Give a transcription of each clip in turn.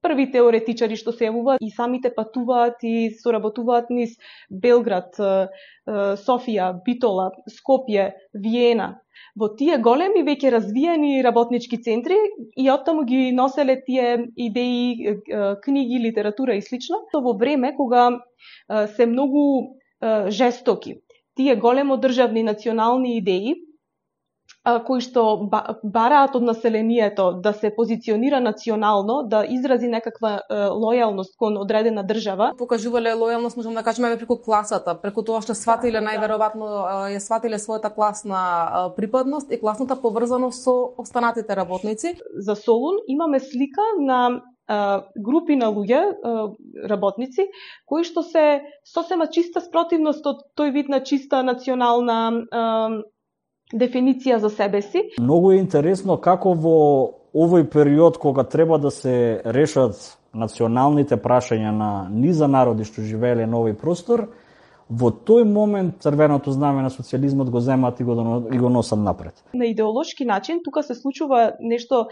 први теоретичари што се јавуваат и самите патуваат и соработуваат низ Белград, Софија, Битола, Скопје, Виена. Во тие големи веќе развиени работнички центри и оттаму ги носеле тие идеи, книги, литература и слично. Во време кога се многу жестоки тие големо државни национални идеи, кои што бараат од населението да се позиционира национално, да изрази некаква лојалност кон одредена држава. Покажувале лојалност, можеме да кажеме, преку класата, преку тоа што сватиле најверојатно ја сватиле својата класна припадност и класната поврзаност со останатите работници. За Солун имаме слика на групи на луѓе, работници, кои што се сосема чиста спротивност од тој вид на чиста национална дефиниција за себе си. Многу е интересно како во овој период кога треба да се решат националните прашања на низа народи што живееле на овој простор, во тој момент црвеното знаме на социјализмот го земат и го носат напред. На идеолошки начин тука се случува нешто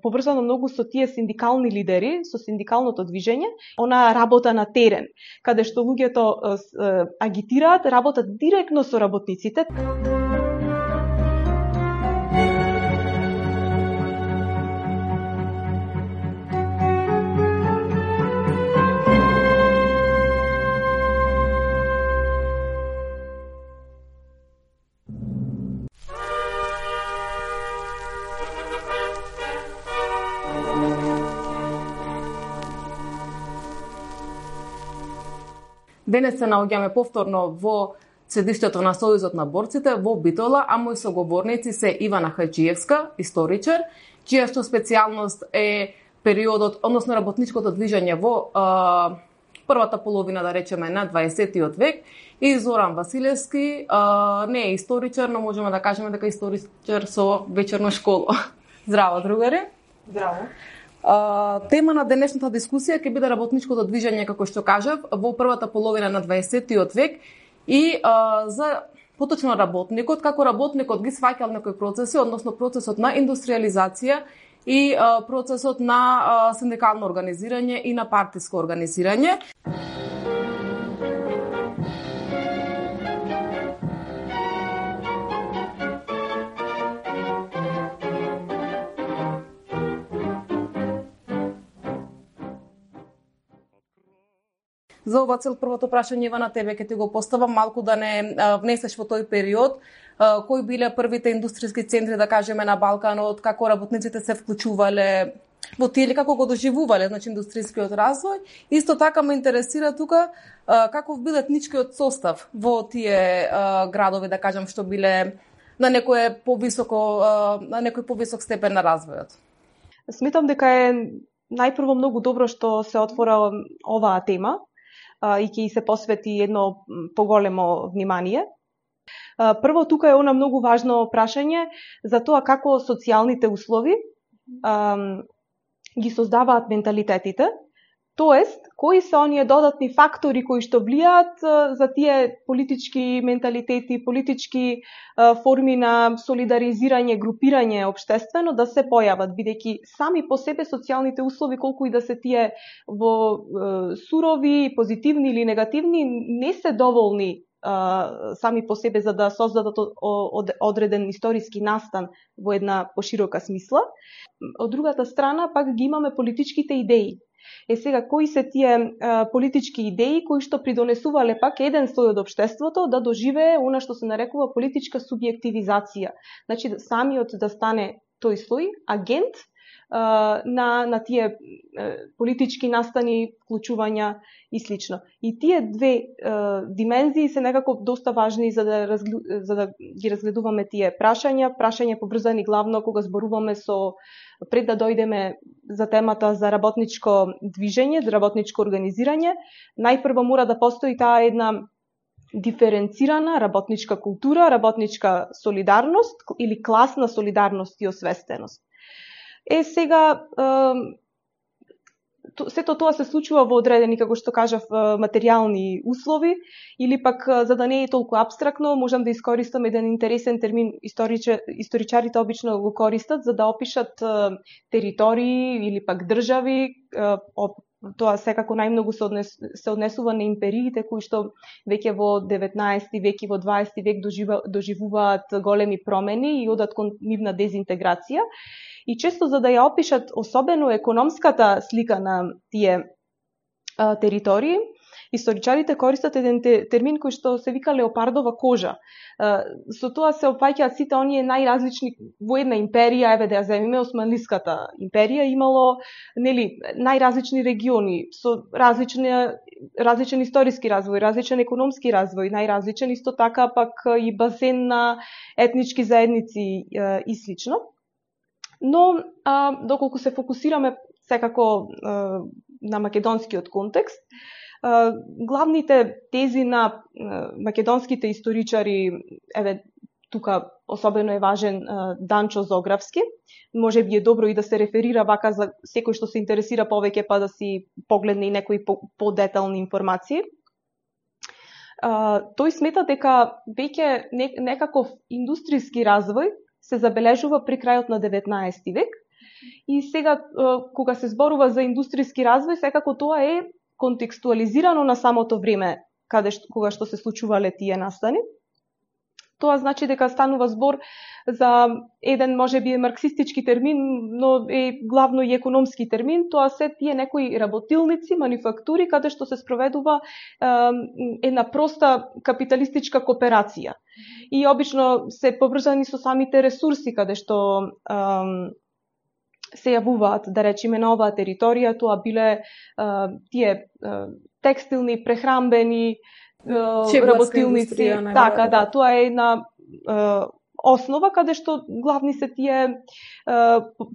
поврзано многу со тие синдикални лидери, со синдикалното движење, она работа на терен, каде што луѓето агитираат, работат директно со работниците. Денес се наоѓаме повторно во седиштето на Сојузот на борците во Битола, а мои соговорници се Ивана Хаџиевска, историчар, чија што специјалност е периодот, односно работничкото движење во првата половина, да речеме, на 20-тиот век, и Зоран Василевски, не е историчар, но можеме да кажеме дека е историчар со вечерно школо. Здраво, другари. Здраво. Тема на денешната дискусија ќе биде работничкото движење, како што кажав, во првата половина на 20-тиот век и за поточно работникот, како работникот ги сваќал некои процеси, односно процесот на индустриализација и процесот на синдикално организирање и на партиско организирање. За ова цел првото прашање, Ивана, тебе ќе ти го поставам, малку да не внесеш во тој период, кои биле првите индустријски центри, да кажеме, на Балканот, како работниците се вклучувале во тие или како го доживувале, значи, индустријскиот развој. Исто така ме интересира тука каков бил етничкиот состав во тие градови, да кажам, што биле на некој повисок степен на развојот. Сметам дека е најпрво многу добро што се отвора оваа тема и ќе се посвети едно поголемо внимание. Прво, тука е она многу важно прашање за тоа како социјалните услови ги создаваат менталитетите, тоест, кои се оние додатни фактори кои што влијаат за тие политички менталитети, политички форми на солидаризирање, групирање општествено да се појават, бидејќи сами по себе социјалните услови, колку и да се тие во сурови, позитивни или негативни, не се доволни сами по себе за да создадат одреден историски настан во една поширока смисла. Од другата страна, пак ги имаме политичките идеи. Сега, кои се тие политички идеи кои што придонесувале пак еден слој од општеството да доживее она што се нарекува политичка субјективизација. Значи, самиот да стане тој слој агент на тие политички настани, вклучувања и слично. И тие две димензии се некако доста важни за да ги разгледуваме тие прашања поврзани главно кога зборуваме пред да дојдеме за темата за работничко движење, за работничко организирање. Најпрво мора да постои таа една диференцирана работничка култура, работничка солидарност или класна солидарност и освестеност. Сега, сето тоа се случува во одредени, како што кажав, материјални услови, или пак, за да не е толку апстрактно, можам да искористам еден интересен термин, историчарите обично го користат, за да опишат територии или пак држави. Тоа секако најмногу се однесува на империите, кои што веќе во 19 век и во 20 век доживуваат големи промени и одат кон нивна дезинтеграција. И често за да ја опишат особено економската слика на тие територии, историчарите користат еден термин кој што се вика леопардова кожа. Со тоа се опфаќаат сите оние најразлични во една империја, еве да ја земиме Османлиската империја, имало најразлични региони со различен историски развој, различен економски развој, најразличен исто така пак и базен на етнички заедници и слично. Но, доколку се фокусираме секако на македонскиот контекст, главните тези на македонските историчари, еве тука особено е важен Данчо Зографски, може би е добро и да се реферира вака за секој што се интересира повеќе, па да си погледне и некои подетални информации. Тој смета дека веќе некаков индустријски развој се забележува при крајот на 19 век. И сега, кога се зборува за индустријски развој, секако тоа е контекстуализирано на самото време кога што се случувале тие настани. Тоа значи дека станува збор за еден можеби марксистички термин, но е главно и економски термин. Тоа се тие некои работилници, мануфактури, каде што се спроведува една проста капиталистичка кооперација. И обично се поврзани со самите ресурси каде што се јавуваат, да речеме, на оваа територија. Тоа биле тие текстилни, прехрамбени работилници. Така, да, тоа е една основа каде што главни се тие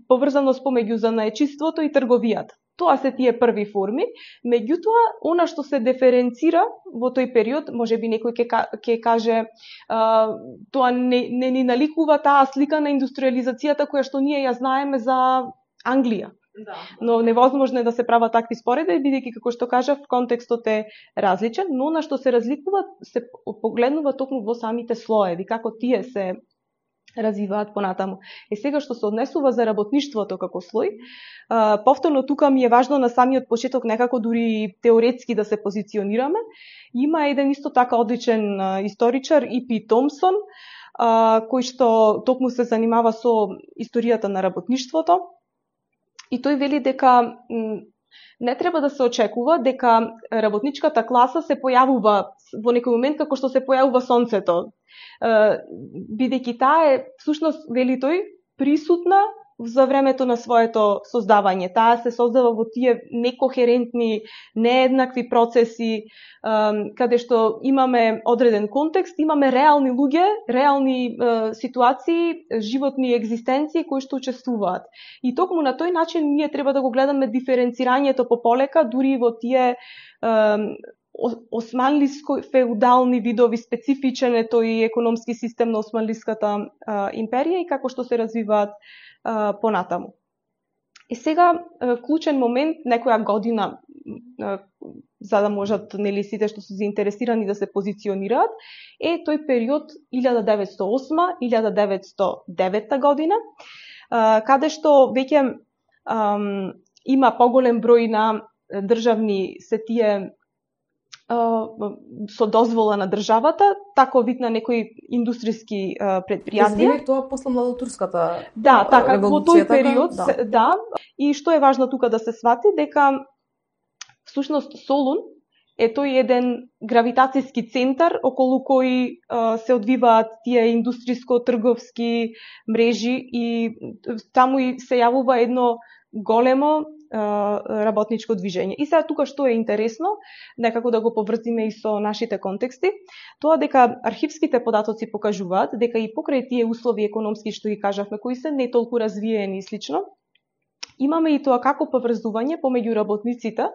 поврзаност помеѓу занаечиството и трговијата. Тоа се тие први форми. Меѓутоа, она што се диференцира во тој период, можеби некој ќе каже, тоа не ни наликува таа слика на индустриализацијата која што ние ја знаеме за Англија. Да. Но невозможно е да се прават такви споредби, бидејќи, како што кажав, контекстот е различен, но на што се разликува, се погледнува токму во самите слоеви, како тие се развиваат понатаму. И сега што се однесува за работништвото како слој, повторно тука ми е важно на самиот почеток некако дури теоретски да се позиционираме. Има еден исто така одличен историчар, И.П. Томсон, кој што токму се занимава со историјата на работништвото. И тој вели дека не треба да се очекува дека работничката класа се појавува во некој момент како што се појавува сонцето. Бидејќи таа е, всушност, вели тој, присутна за времето на своето создавање. Таа се создава во тие некохерентни, нееднакви процеси, каде што имаме одреден контекст, имаме реални луѓе, реални ситуации, животни екзистенции кои што учествуваат. И токму на тој начин ние треба да го гледаме диференцирањето пополека, дури во тие османлиско-феудални видови, специфичен е тој економски систем на Османлиската империја и како што се развиваат понатаму. И сега, клучен момент, некоја година, за да можат сите што се заинтересирани да се позиционираат, е тој период 1908-1909 година, каде што веќе има поголем број на државни се тие со дозвола на државата, тако вид на некои индустријски предпријатија. Тоа после младотурската да, така, во тој период, да. И што е важно тука да се свати, дека всушност Солун е тој еден гравитацијски центар околу кој се одвиваат тие индустријско-трговски мрежи и таму и се јавува едно големо работничко движење. И сега тука што е интересно, некако да го поврзиме и со нашите контексти, тоа дека архивските податоци покажуваат дека и покрај тие услови економски што ги кажавме, кои се не толку развиени и слично, имаме и тоа како поврзување помеѓу работниците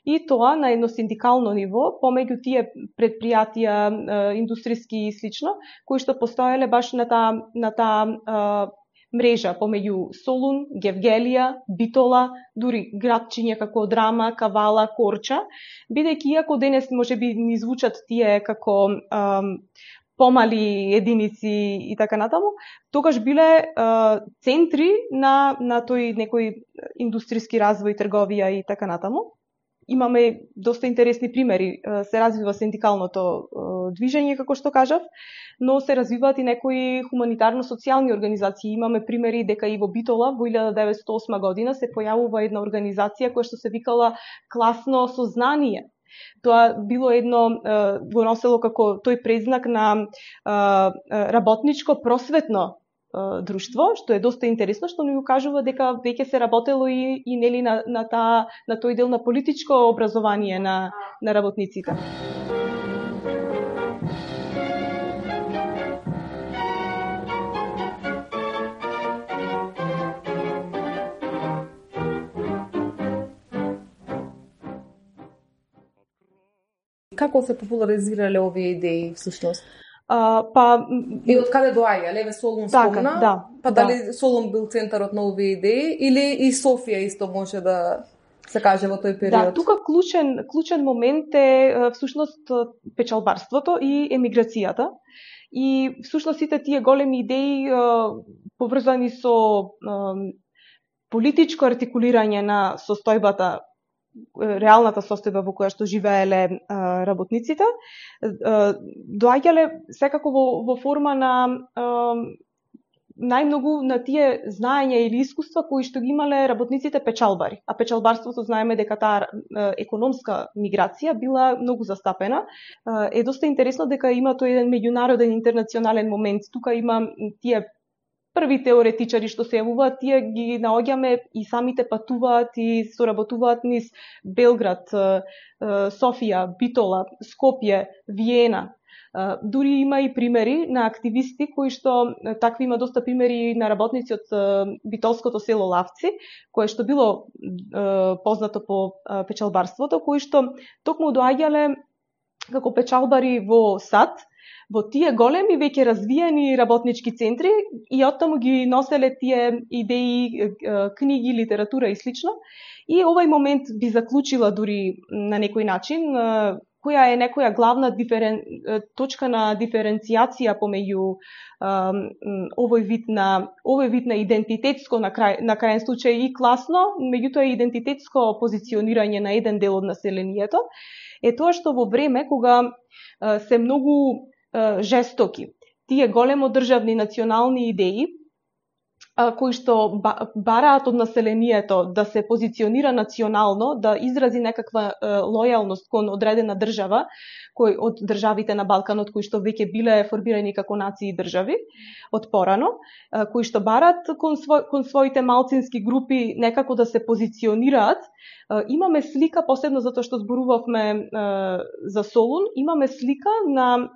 и тоа на едно синдикално ниво, помеѓу тие предпријатија, индустријски и слично, кои што постоеле баш на таа мрежа помеѓу Солун, Гевгелија, Битола, дури градчиња како Драма, Кавала, Корча, бидејќи иако денес можеби ни звучат тие како помали единици и така натаму, тогаш биле центри на тој некој индустријски развој, трговија и така натаму. Имаме доста интересни примери. Се развива синдикалното движење, како што кажав, но се развиваат и некои хуманитарно-социјални организации. Имаме примери дека и во Битола во 1908 година се појавува една организација која што се викала Класно сознание. Тоа било едно, го носело како тој презнак на работничко просветно друштво, што е доста интересно, што ни укажува дека веќе се работело и нели на тој дел на политичко образование на работниците. Како се популаризирале овие идеи всушност? И од каде доаѓа? Леве Солун спомна, па дали Солун бил центарот на овие идеи или и Софија исто може да се каже во тој период? Да, тука клучен момент е всушност печалбарството и емиграцијата. И всушност сите тие големи идеи поврзани со политичко артикулирање на состојбата, реалната состојба во која што живееле работниците, доаѓале секако во форма на најмногу на тие знаења или искуства кои што ги имале работниците печалбари. А печалбарството знаеме дека таа економска миграција била многу застапена. Е доста интересно дека има тој еден меѓународен интернационален момент. Тука има тие први теоретичари што се јавуваат, тие ги наоѓаме и самите патуваат и соработуваат низ Белград, Софија, Битола, Скопје, Виена. Дури има и примери на активисти кои што, такви има доста примери на работници од битолското село Лавци, кое што било познато по печалбарството, кои што токму доаѓале како печалбари во САД, во тие големи веќе развиени работнички центри и оттаму ги носеле тие идеи, книги, литература и слично. И овај момент би заклучила дури на некој начин која е некоја главна точка на диференцијација помеѓу овој вид на идентитетско на крајен случај и класно, меѓутоа и идентитетско позиционирање на еден дел од населението, е тоа што во време кога се многу жестоки тие големо државни национални идеи кои што бараат од населението да се позиционира национално, да изрази некаква лојалност кон одредена држава, кој од државите на Балканот кои што веќе биле формирани како нации и држави од порано, кои што бараат кон своите малцински групи некако да се позиционираат. Имаме слика, посебно затоа што зборувавме за Солун, имаме слика на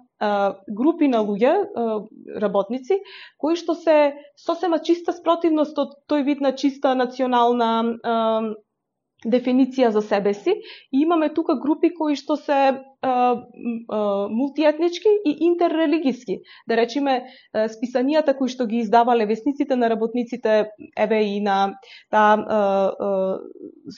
групи на луѓе, работници, кои што се сосема чиста спротивност од тој вид на чиста национална дефиниција за себе си. И имаме тука групи кои што се мултиетнички и интеррелигиски. Да речеме, списанијата кои што ги издавале весниците на работниците, еве и на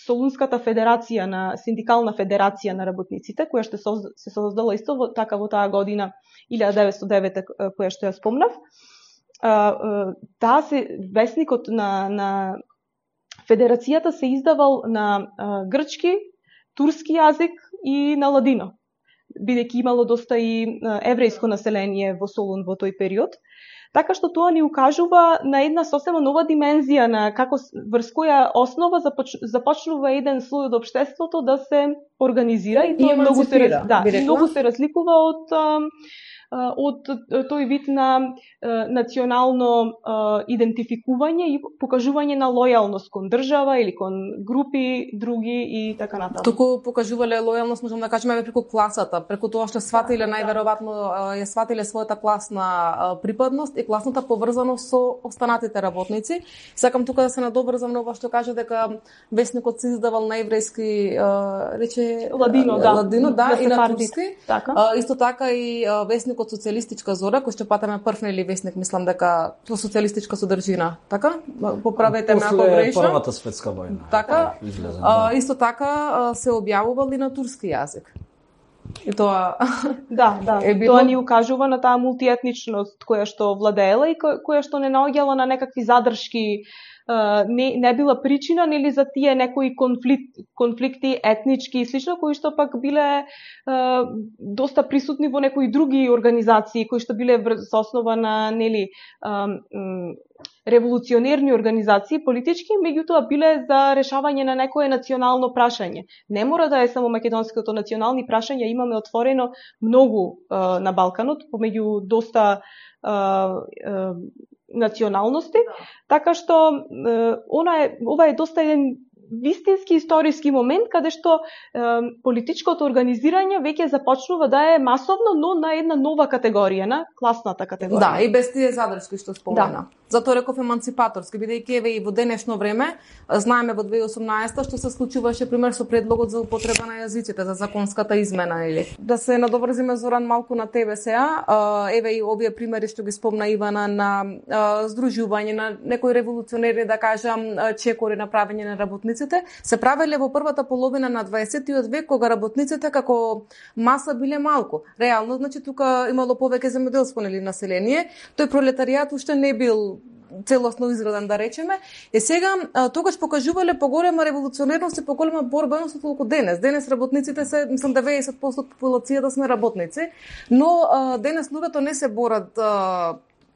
Солунската федерација, на Синдикална федерација на работниците, која што се создала исто така во таа година 1909 која што ја спомнав. Таа се весникот на федерацијата се издавал на грчки, турски јазик и на ладино, бидејќи имало доста и еврејско население во Солун во тој период. Така што тоа ни укажува на една сосема нова димензија на како врз која основа започнува еден слој од општеството да се организира и тоа многу се разликува од тој вид на национално идентификување и покажување на лојалност кон држава или кон групи други и така натаму. Туку покажувале лојалност, можам да кажеме, преку класата, преку тоа што сватиле најверојатно ја сватиле својата класна припадност и класната поврзаност со останатите работници. Сакам тука да се надобрзам на ова што кажа дека весникот се издавал на еврејски рече ладино, и на турски. Исто така и весникот вестникот Социјалистичка зора, кој што патаме прв или вестник, мислам дека со социјалистичка содржина, така? Поправете ме ако грешам. После Првата светска војна. Така? Исто така се објавувал и на турски јазик. И тоа да, било... тоа ни укажува на таа мултиетничност која што владеела и која што не наоѓала на некакви задршки, не била причина нели за тие некои конфликти етнички и слично, кои што пак биле доста присутни во некои други организации кои што биле со основа на нели револуционерни организации политички, меѓутоа биле за решавање на некое национално прашање. Не мора да е само македонското национални прашања, имаме отворено многу на Балканот помеѓу доста националности, така што ова е доста еден вистински историски момент каде што политичкото организирање веќе започнува да е масовно, но на една нова категорија, на класната категорија. Да, и без тие задршки што спомена. Да. Затоа реков еманципаторски, бидејќи еве и во денешно време, знаеме во 2018 што се случуваше пример со предлогот за употреба на јазиците за законската измена или. Да се надоврзиме Зоран малку на тебе сега, еве и овие примери што ги спомна Ивана на здружување на некои револуционери, да кажам, чекори на правење на работници, се правеле во првата половина на 20-тиот век, кога работниците како маса биле малку. Реално, значи, тука имало повеќе земјоделско население, тој пролетаријат уште не бил целосно изграден, да речеме. И сега, тогаш покажувале поголема револуционерност и поголема борбеност отколку денес. Денес работниците се, мислам, 90% од популацијата сме работници, но денес луѓето не се борат,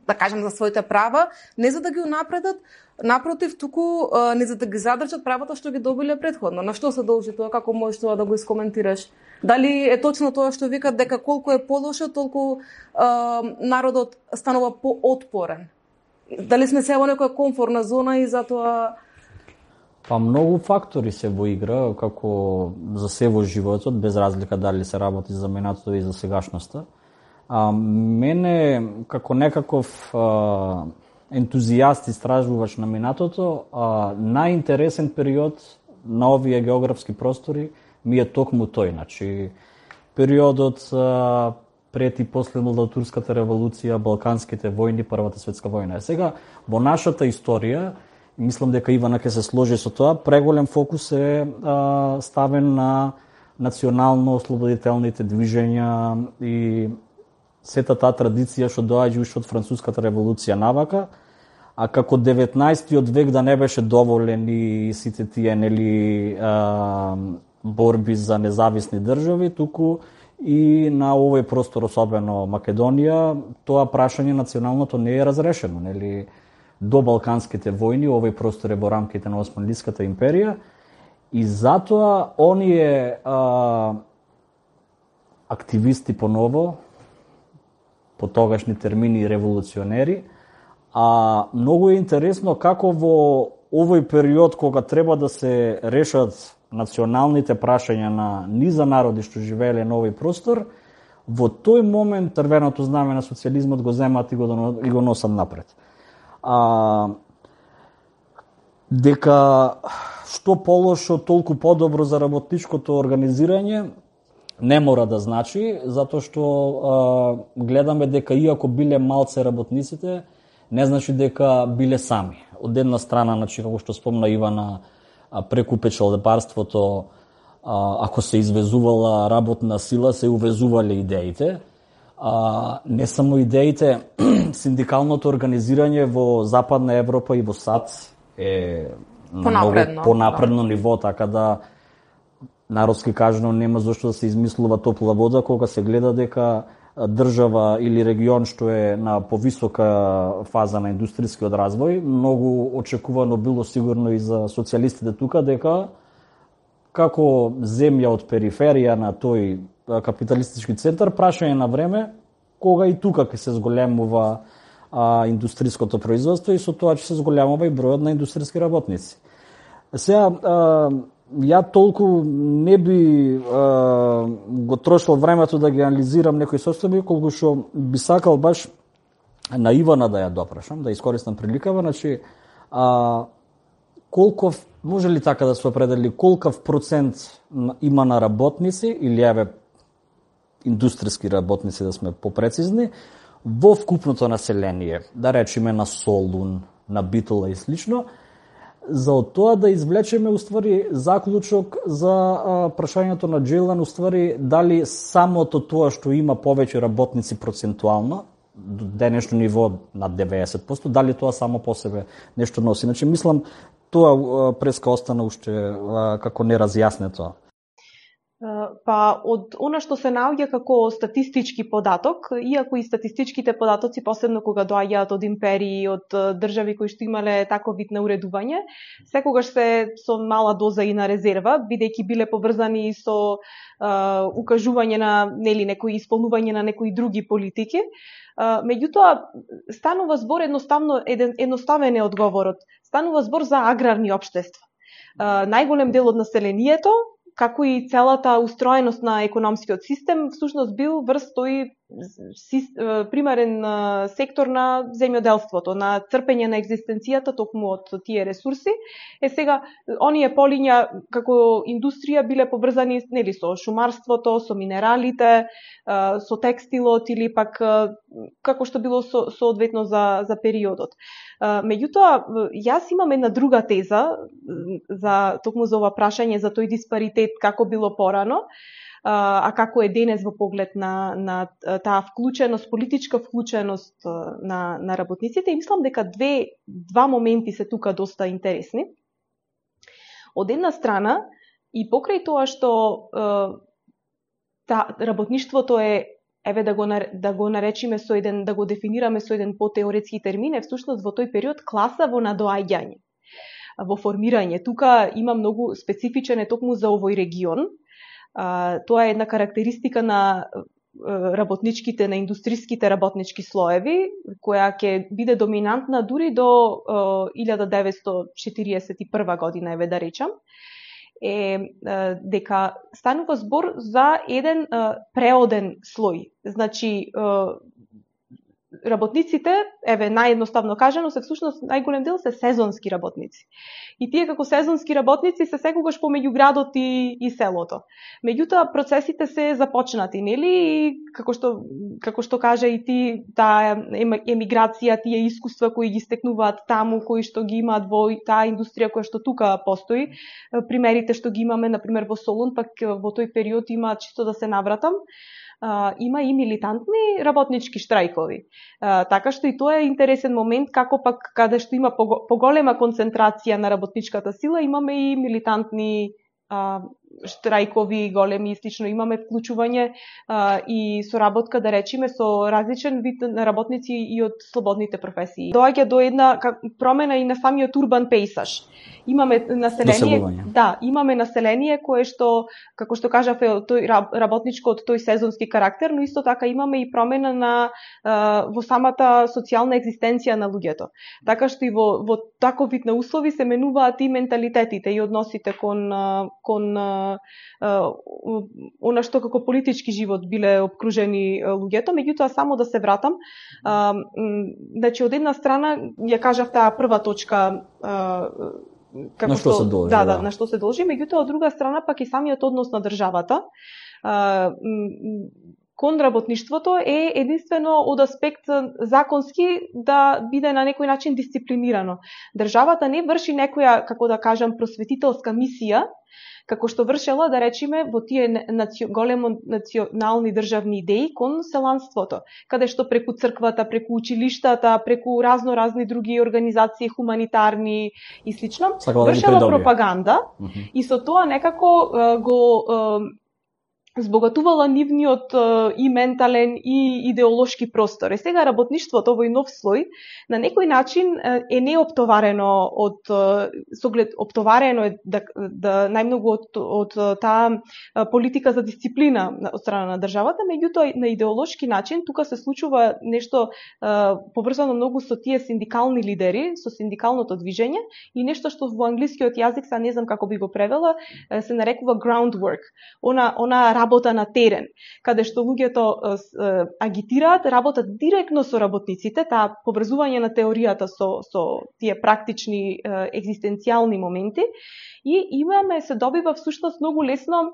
да кажем, за своите права, не за да ги унапредат, напротив, туку не за да ги задржат правата што ги добиле претходно. На што се должи тоа? Како можеш тоа да го искоментираш? Дали е точно тоа што викат дека колку е полошо, толку народот станува поотпорен? Дали сме се во некоја комфортна зона и затоа... Па многу фактори се во игра, како за се во животот, без разлика дали се работи за минатото и за сегашноста. Мене, како некаков ентузијаст истражувач на минатото, најинтересен период на овие географски простори ми е токму тој. Значи, периодот пред и после Турската револуција, Балканските војни, Првата светска војна. Сега, во нашата историја, мислам дека Ивана ќе се сложи со тоа, преголем фокус е ставен на национално-ослободителните движења и сета таа традиција што доаѓа уште од Француската револуција навака, а како 19-тиот век да не беше доволен и сите тие нели борби за независни држави, туку и на овој простор, особено Македонија, тоа прашање националното не е разрешено, нели до Балканските војни, овој простор е во рамките на Османлиската империја и затоа оние активисти поново, по тогашни термини револуционери, многу е интересно како во овој период кога треба да се решат националните прашања на низа народи што живееле на овој простор, во тој момент црвеното знаме на социјализмот го земат и го носат напред. Дека што полошо, толку подобро за работничкото организирање, не мора да значи, затоа што гледаме дека иако биле малце работниците, не значи дека биле сами. Од една страна, значи, како што спомна Ивана, преку печалбарството, ако се извезувала работна сила, се увезувале идеите. Не само идеите, синдикалното организирање во Западна Европа и во САД е на многу понапредно ниво, така да народски кажано нема зошто да се измислува топла вода кога се гледа дека држава или регион што е на повисока фаза на индустријскиот развој, многу очекувано било сигурно и за социјалистите тука дека како земја од периферија на тој капиталистички центар, прашање на време кога и тука ќе се зголемува индустријското производство и со тоа ќе се зголемува и бројот на индустријски работници. Сега, ја толку не би го трошил времето да ги анализирам некои состојби, колку што би сакал баш на Ивана да ја допрашам, да искористам приликава, значи, колков, може ли така да се определи, колкав процент има на работници, или еве, индустријски работници, да сме попрецизни, во вкупното население, да речеме на Солун, на Битола и слично, за од тоа да извлечеме уствари заклучок за прашањето на Джилан, уствари дали самото тоа што има повеќе работници процентуално, до денешно ниво на 90%, дали тоа само по себе нешто носи. Значи, мислам, тоа преска остана уште како неразјаснето. Па, од она што се наоѓа како статистички податок, иако и статистичките податоци, посебно кога доаѓаат од империи, од држави кои што имале таков вид на уредување, секогаш се со мала доза и на резерва, бидејќи биле поврзани со укажување на некои исполнување на некои други политики. Меѓутоа, станува збор едноставен е одговорот. Станува збор за аграрни општества. Најголем дел од населението, како и целата устроеност на економскиот систем, всушност бил врз тој примерен сектор на земјоделството, на црпење на екзистенцијата токму од тие ресурси. Сега, оние полиња како индустрија биле поврзани со шумарството, со минералите, со текстилот или пак како што било соодветно за периодот. Меѓутоа, јас имам една друга теза токму за ова прашање за тој диспаритет како било порано, а како е денес во поглед на таа вклученост, политичка вклученост на работниците, и мислам дека два моменти се тука доста интересни. Од една страна, и покрај тоа што работништвото е, да го наречиме со еден, да го дефинираме со еден потеоретски термин, е всушност во тој период класа во надоаѓање, во формирање. Тука има многу специфичен е токму за овој регион. Тоа е една карактеристика на работничките, на индустријските работнички слоеви, која ќе биде доминантна дури до 1941 година, да речам, дека станува збор за еден преоден слој. Значи, работниците, наједноставно кажано, се всушност најголем дел се сезонски работници. И тие како сезонски работници се секогаш помеѓу градот и селото. Меѓутоа, процесите се започнати, нели? И како што кажа и ти, таа емиграција, тие искуства кои ги стекнуваат таму, кои што ги имаат во таа индустрија која што тука постои, примерите што ги имаме, например, во Солун, пак во тој период има, чисто да се навратам, има и милитантни работнички штрајкови. Така што и тоа е интересен момент, како пак каде што има поголема концентрација на работничката сила, имаме и милитантни штрајкови големи и слично, имаме вклучување и соработка, да речиме, со различен вид на работници и од слободните професии. Доаѓа до една промена и на самиот урбан пейсаж. Имаме население, имаме население кое што, како што кажав, е тој работничко од тој сезонски карактер, но исто така имаме и промена во самата социјална екзистенција на луѓето. Така што и во таков вид на услови се менуваат и менталитетите и односите кон она што како политички живот биле обкружени луѓето. Меѓутоа, само да се вратам, значи од една страна ја кажав таа прва точка, на што се должи. На што се должи, меѓутоа од друга страна пак и самиот однос на државата кон работништвото е единствено од аспект законски да биде на некој начин дисциплинирано. Државата не врши некоја, како да кажам, просветителска мисија, како што вршела, да речиме, во тие големо национални државни идеи кон селанството, каде што преку црквата, преку училиштата, преку разни други организации, хуманитарни и слично, вршела пропаганда и со тоа некако го збогатувала нивниот и ментален и идеолошки простор. Сега работништвото овој нов слој на некој начин е неоптоварено оптоварено е да најмногу од таа политика за дисциплина од страна на државата, меѓутоа на идеолошки начин тука се случува нешто поврзано многу со тие синдикални лидери, со синдикалното движење и нешто што во англискиот јазик, са не знам како би го превела, се нарекува groundwork. Она работа на терен, каде што луѓето агитираат, работат директно со работниците, таа поврзување на теоријата со тие практични екзистенцијални моменти и се добива всушност многу лесно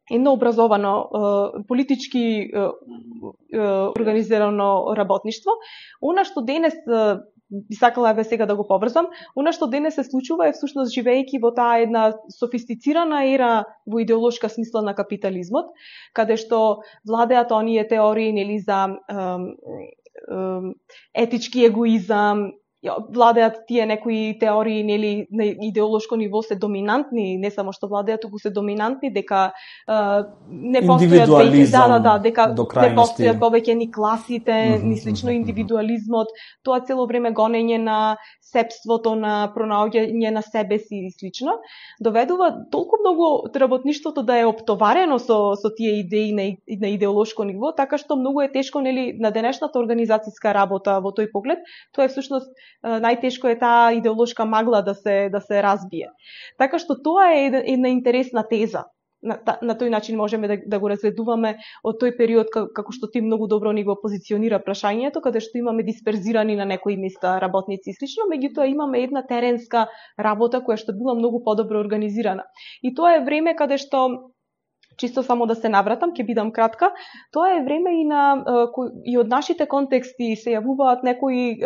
едно образовано, политички организирано работништво. Она што денес би сакала сега да го поврзам, она што денес се случува е всушност живеејќи во таа една софистицирана ера во идеолошка смисла на капитализмот, каде што владеат оние теории нели за етички егоизам, владеат тие некои теории нели на идеолошко ниво се доминантни, не само што владеат, туку се доминантни, дека не постојат веќе дека не постојат повеќе ни класите, ни слично индивидуализмот, тоа цело време гонење на себството, на пронаоѓање на себе си и слично, доведува толку многу работништвото да е оптоварено со тие идеи на идеолошко ниво, така што многу е тешко нели на денешната организацијска работа во тој поглед. Тоа е всушност најтешко е таа идеолошка магла да се разбие. Така што тоа е една интересна теза. На тој начин можеме да го разгледуваме од тој период, како што ти многу добро ни го позиционира прашањето, каде што имаме дисперзирани на некои места работници и слично, меѓутоа имаме една теренска работа која што била многу подобро организирана. И тоа е време каде што, чисто само да се навратам, ќе бидам кратка, тоа е време и од нашите контексти се јавуваат некои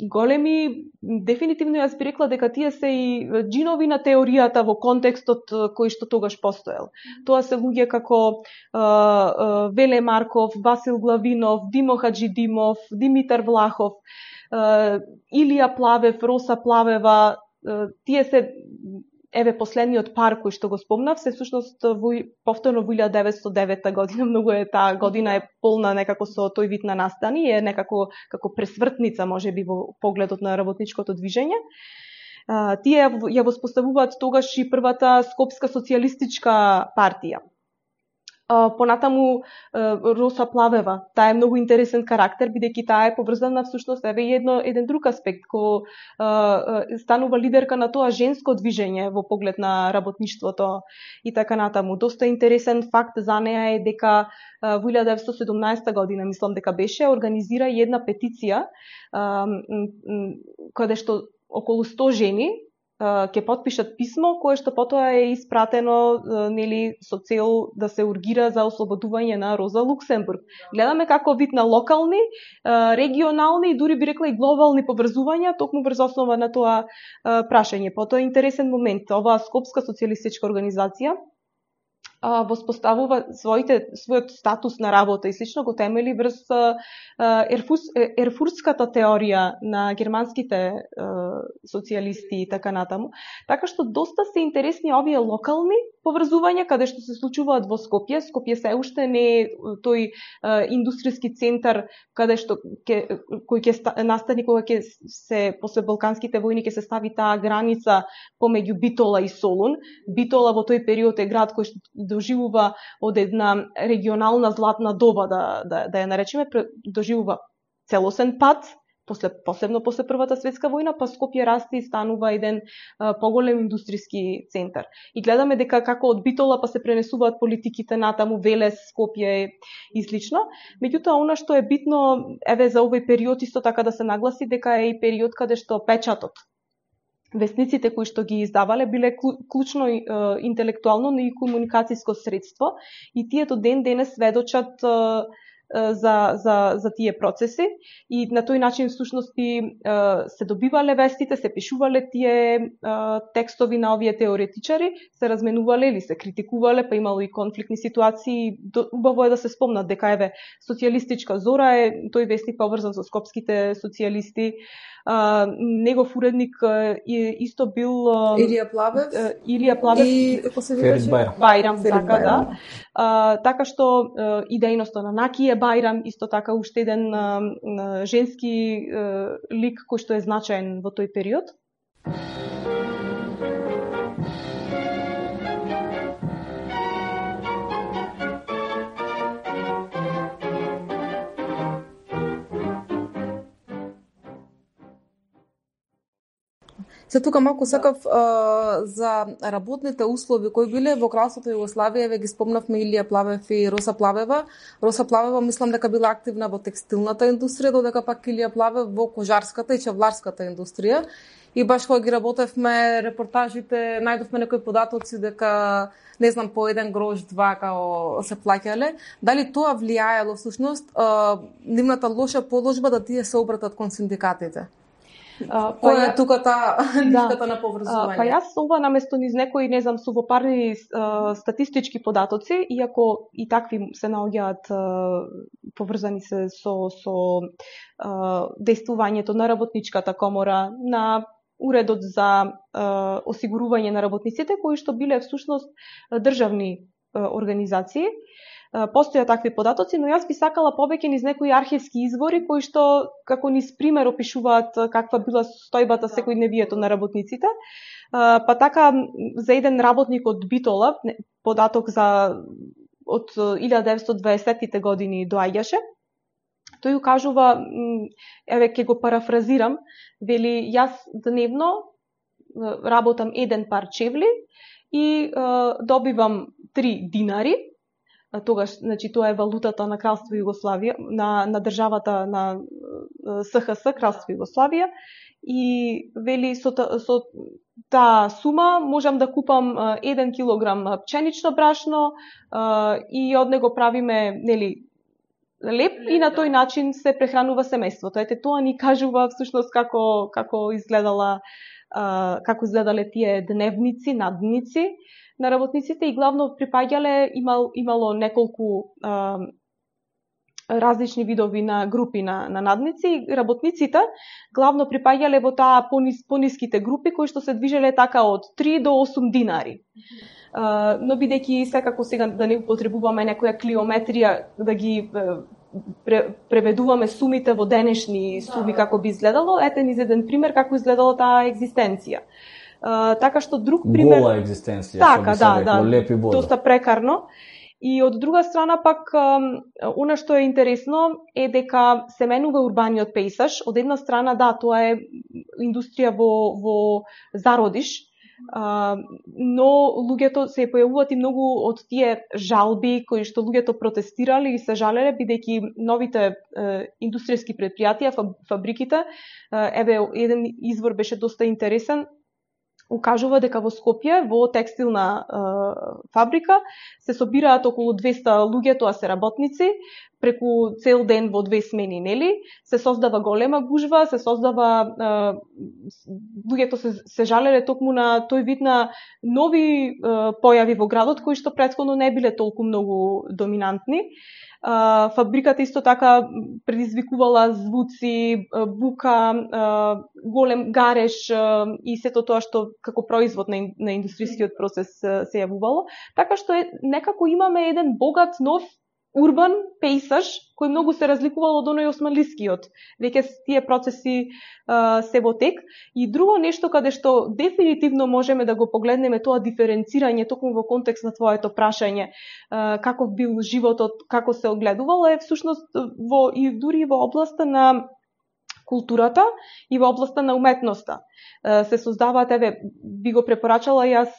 големи, дефинитивно јас би рекла дека тие се и джинови на теоријата во контекстот кој што тогаш постоел. Тоа се луѓе како Веле Марков, Васил Главинов, Димо Хаджидимов, Димитар Влахов, Илија Плавев, Роса Плавева, тие се последниот пар кој што го спомнав, се всушност повторно во 1909 година, многу е таа година е полна некако со тој вид на настани, е некако како пресвртница можеби во погледот на работничкото движење. Тие ја воспоставуваат тогаш и првата Скопска социјалистичка партија. Понатаму Роса Плавева, таа е многу интересен карактер, бидејќи таа е поврзана всушност еден друг аспект, кој станува лидерка на тоа женско движење во поглед на работништвото и така натаму. Доста интересен факт за неа е дека во 1917 година, мислам дека беше, организира една петиција каде што околу 100 жени ќе потпишат писмо кое што потоа е испратено нели со цел да се ургира за ослободување на Роза Луксембург. Гледаме како вид на локални, регионални и дури би рекла и глобални поврзувања токму врз основа на тоа прашање. Потоа интересен момент, оваа Скопска социјалистичка организација воспоставува својот статус на работа и слично го темели врз ерфуртската теорија на германските социјалисти и така натаму. Така што доста се интересни овие локални поврзувања каде што се случуваат во Скопје. Скопје се уште не е тој индустријски центар каде што кој ќе настани кога ќе се после балканските војни ќе се стави таа граница помеѓу Битола и Солун. Битола во тој период е град кој што доживува од една регионална златна доба, да ја наречеме, доживува целосен пат, посебно после Првата светска војна, па Скопје расте и станува еден поголем индустријски центар. И гледаме дека како од Битола па се пренесуваат политиките натаму, Велес, Скопје и слично. Меѓутоа, она што е битно, за овој период исто така да се нагласи дека е и период каде што печатот, весниците кои што ги издавале биле клучно интелектуално, но и комуникацијско средство и тие до ден денес сведочат за тие процеси и на тој начин всушност се добивале вестите, се пишувале тие текстови на овие теоретичари, се разменувале или се критикувале, па имало и конфликтни ситуации. Убаво е да се спомнат дека социјалистичка Зора е тој вестник поврзан со скопските социјалисти. Негов уредник исто бил Илија Плавев и Ферит Бајрам, така да. Така што и дејноста на Накије Бајрам, исто така уште еден женски лик кој што е значаен во тој период. Се тука малку сакав за работните услови кои биле во Кралството Југославија, ве ги спомнавме Илија Плавев и Роса Плавева. Роса Плавева мислам дека била активна во текстилната индустрија, додека пак Илија Плавев во кожарската и чевларската индустрија. И баш кога ги работевме репортажите, најдовме некои податоци дека не знам по 1 грош 2 као се плаќале. Дали тоа влијаело всушност нивната лоша положба да тие се обратат кон синдикатите? Која е тука нишката на поврзување? Па јас ова наместо низ некои, не знам, сувопарни статистички податоци, иако и такви се наоѓаат поврзани се со действувањето на работничката комора, на уредот за осигурување на работниците, кои што биле всушност државни организации. Постоја такви податоци, но јас би сакала повеќе низ некои архивски извори кои што како низ пример опишуваат каква била состојбата секојдневието на работниците. Па така за еден работник од Битола, податок од 1920-тите години доаѓаше, тој кажува, еве ќе го парафразирам, вели јас дневно работам 1 пар чевли и добивам 3 динари. Тогаш, значи, тоа е валутата на Кралство Југославија, на државата на СХС, Кралство Југославија, и вели со таа сума можам да купам 1 килограм пченично брашно и од него правиме, нели, леп и на тој начин се прехранува семејството. Ете, тоа ни кажува всушност како изгледале тие дневници, надници на работниците и главно припаѓале, имало неколку различни видови на групи на надници. Работниците главно припаѓале во таа пониските групи кои што се движеле така од 3 до 8 динари. Но бидејќи секако сега да не употребуваме некоја клиометрија да ги преведуваме сумите во денешни суми како би изгледало, ете низ еден пример како изгледала таа екзистенција. Така што друг пример... Гола екзистенција, така, што би се рекло, леп и бодро. Доста прекарно. И од друга страна пак, она што е интересно е дека се менува урбаниот пејсаж. Од една страна, да, тоа е индустрија во зародиш, но луѓето се појавуваат и многу од тие жалби кои што луѓето протестирали и се жалеле, бидејќи новите индустријски предпријатија, фабриките, еве еден извор беше доста интересен, укажува дека во Скопје, во текстилна фабрика, се собираат околу 200 луѓе, тоа се работници, преку цел ден во 2 смени, нели? Се создава голема гужва, се создава луѓето се жалеле токму на тој вид на нови појави во градот кои што претходно не биле толку многу доминантни. Фабриката исто така предизвикувала звуци, бука, голем гареж и сето тоа што како производ на индустријскиот процес се јавувало. Така што некако имаме еден богат нов урбан пејсаж кој многу се разликувал од оној османлискиот. Веќе тие процеси се во тек. И друго нешто каде што дефинитивно можеме да го погледнеме тоа диференцирање токму во контекст на твоето прашање, каков бил животот, како се огледувало, е всушност и дури во областа на културата и во областа на уметноста. Се создаваат, еве, би го препорачала јас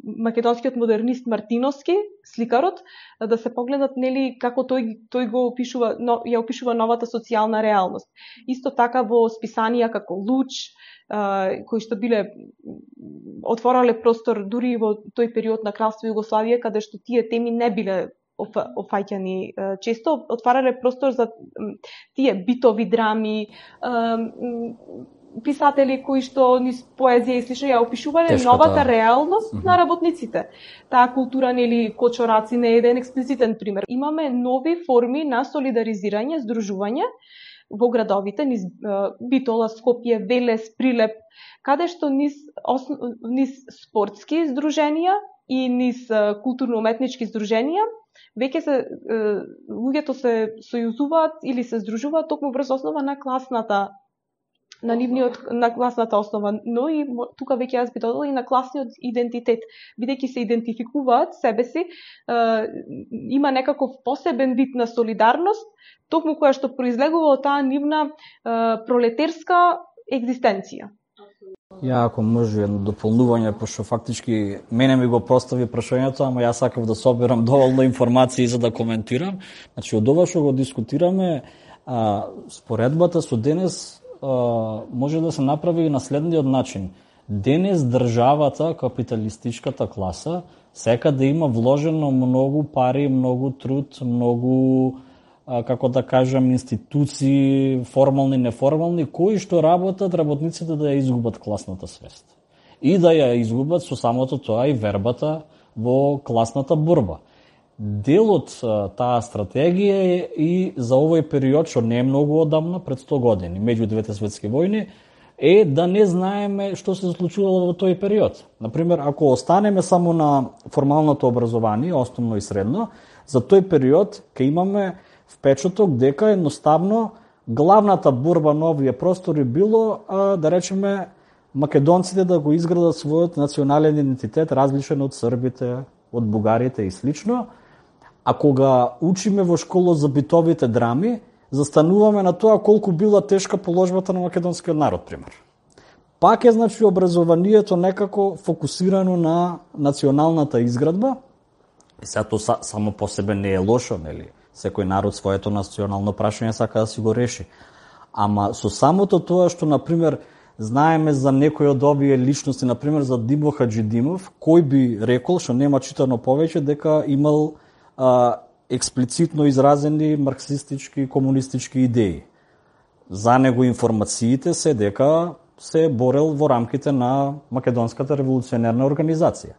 македонскиот модернист Мартиновски, сликарот, да се погледат, нели, како тој го опишува, ја опишува новата социјална реалност. Исто така во списанија како Луч, кои што биле отворале простор дури во тој период на Кралство Југославија, каде што тие теми не биле офаќани често, отварале простор за тие битови драми, писатели кои што низ поезија и слично ја опишувале новата реалност на работниците. Таа култура, нели, кочораци не е еден експлицитен пример. Имаме нови форми на солидаризирање, здружување во градовите, низ Битола, Скопје, Велес, Прилеп, каде што низ спортски здруженија и низ културно-уметнички здруженија веќе луѓето се сојузуваат или се здружуваат токму врз основа на класната, на класната основа, но и тука веќе јас би додала и на класниот идентитет, бидејќи се идентификуваат себе си, има некаков посебен вид на солидарност, токму која што произлегува од таа нивна пролетерска екзистенција. Ја, ако може едно дополнување, пошто фактички мене ми го постави прашањето, ама јас сакав да соберам доволно информации за да коментирам. Значи, од ова што го дискутираме, споредбата со денес може да се направи на следниот начин. Денес државата, капиталистичката класа, сека да има вложено многу пари, многу труд, многу, како да кажам, институции, формални, неформални, кои што работат работниците да ја изгубат класната свест. И да ја изгубат со самото тоа и вербата во класната борба. Дел од таа стратегија е и за овој период, што не е многу одамна, пред 100 години, меѓу двете светски војни, е да не знаеме што се случувало во тој период. Например, ако останеме само на формалното образование, основно и средно, за тој период ќе имаме впечаток дека едноставно главната борба на овие простори било, да речеме, македонците да го изградат својот национален идентитет различен од србите, од бугарите и слично. А кога учиме во школа за битовите драми, застануваме на тоа колку била тешка положбата на македонскиот народ, пример. Пак е, значи, образованието некако фокусирано на националната изградба. И сега тоа само по себе не е лошо, нели? Секој народ своето национално прашање сака да си го реши. Ама со самото тоа што, например, знаеме за некој од овие личности, например за Димо Хаджидимов, кој би рекол, што нема читано повеќе, дека имал експлицитно изразени марксистички, комунистички идеи. За него информациите се дека се борел во рамките на Македонската револуционерна организација.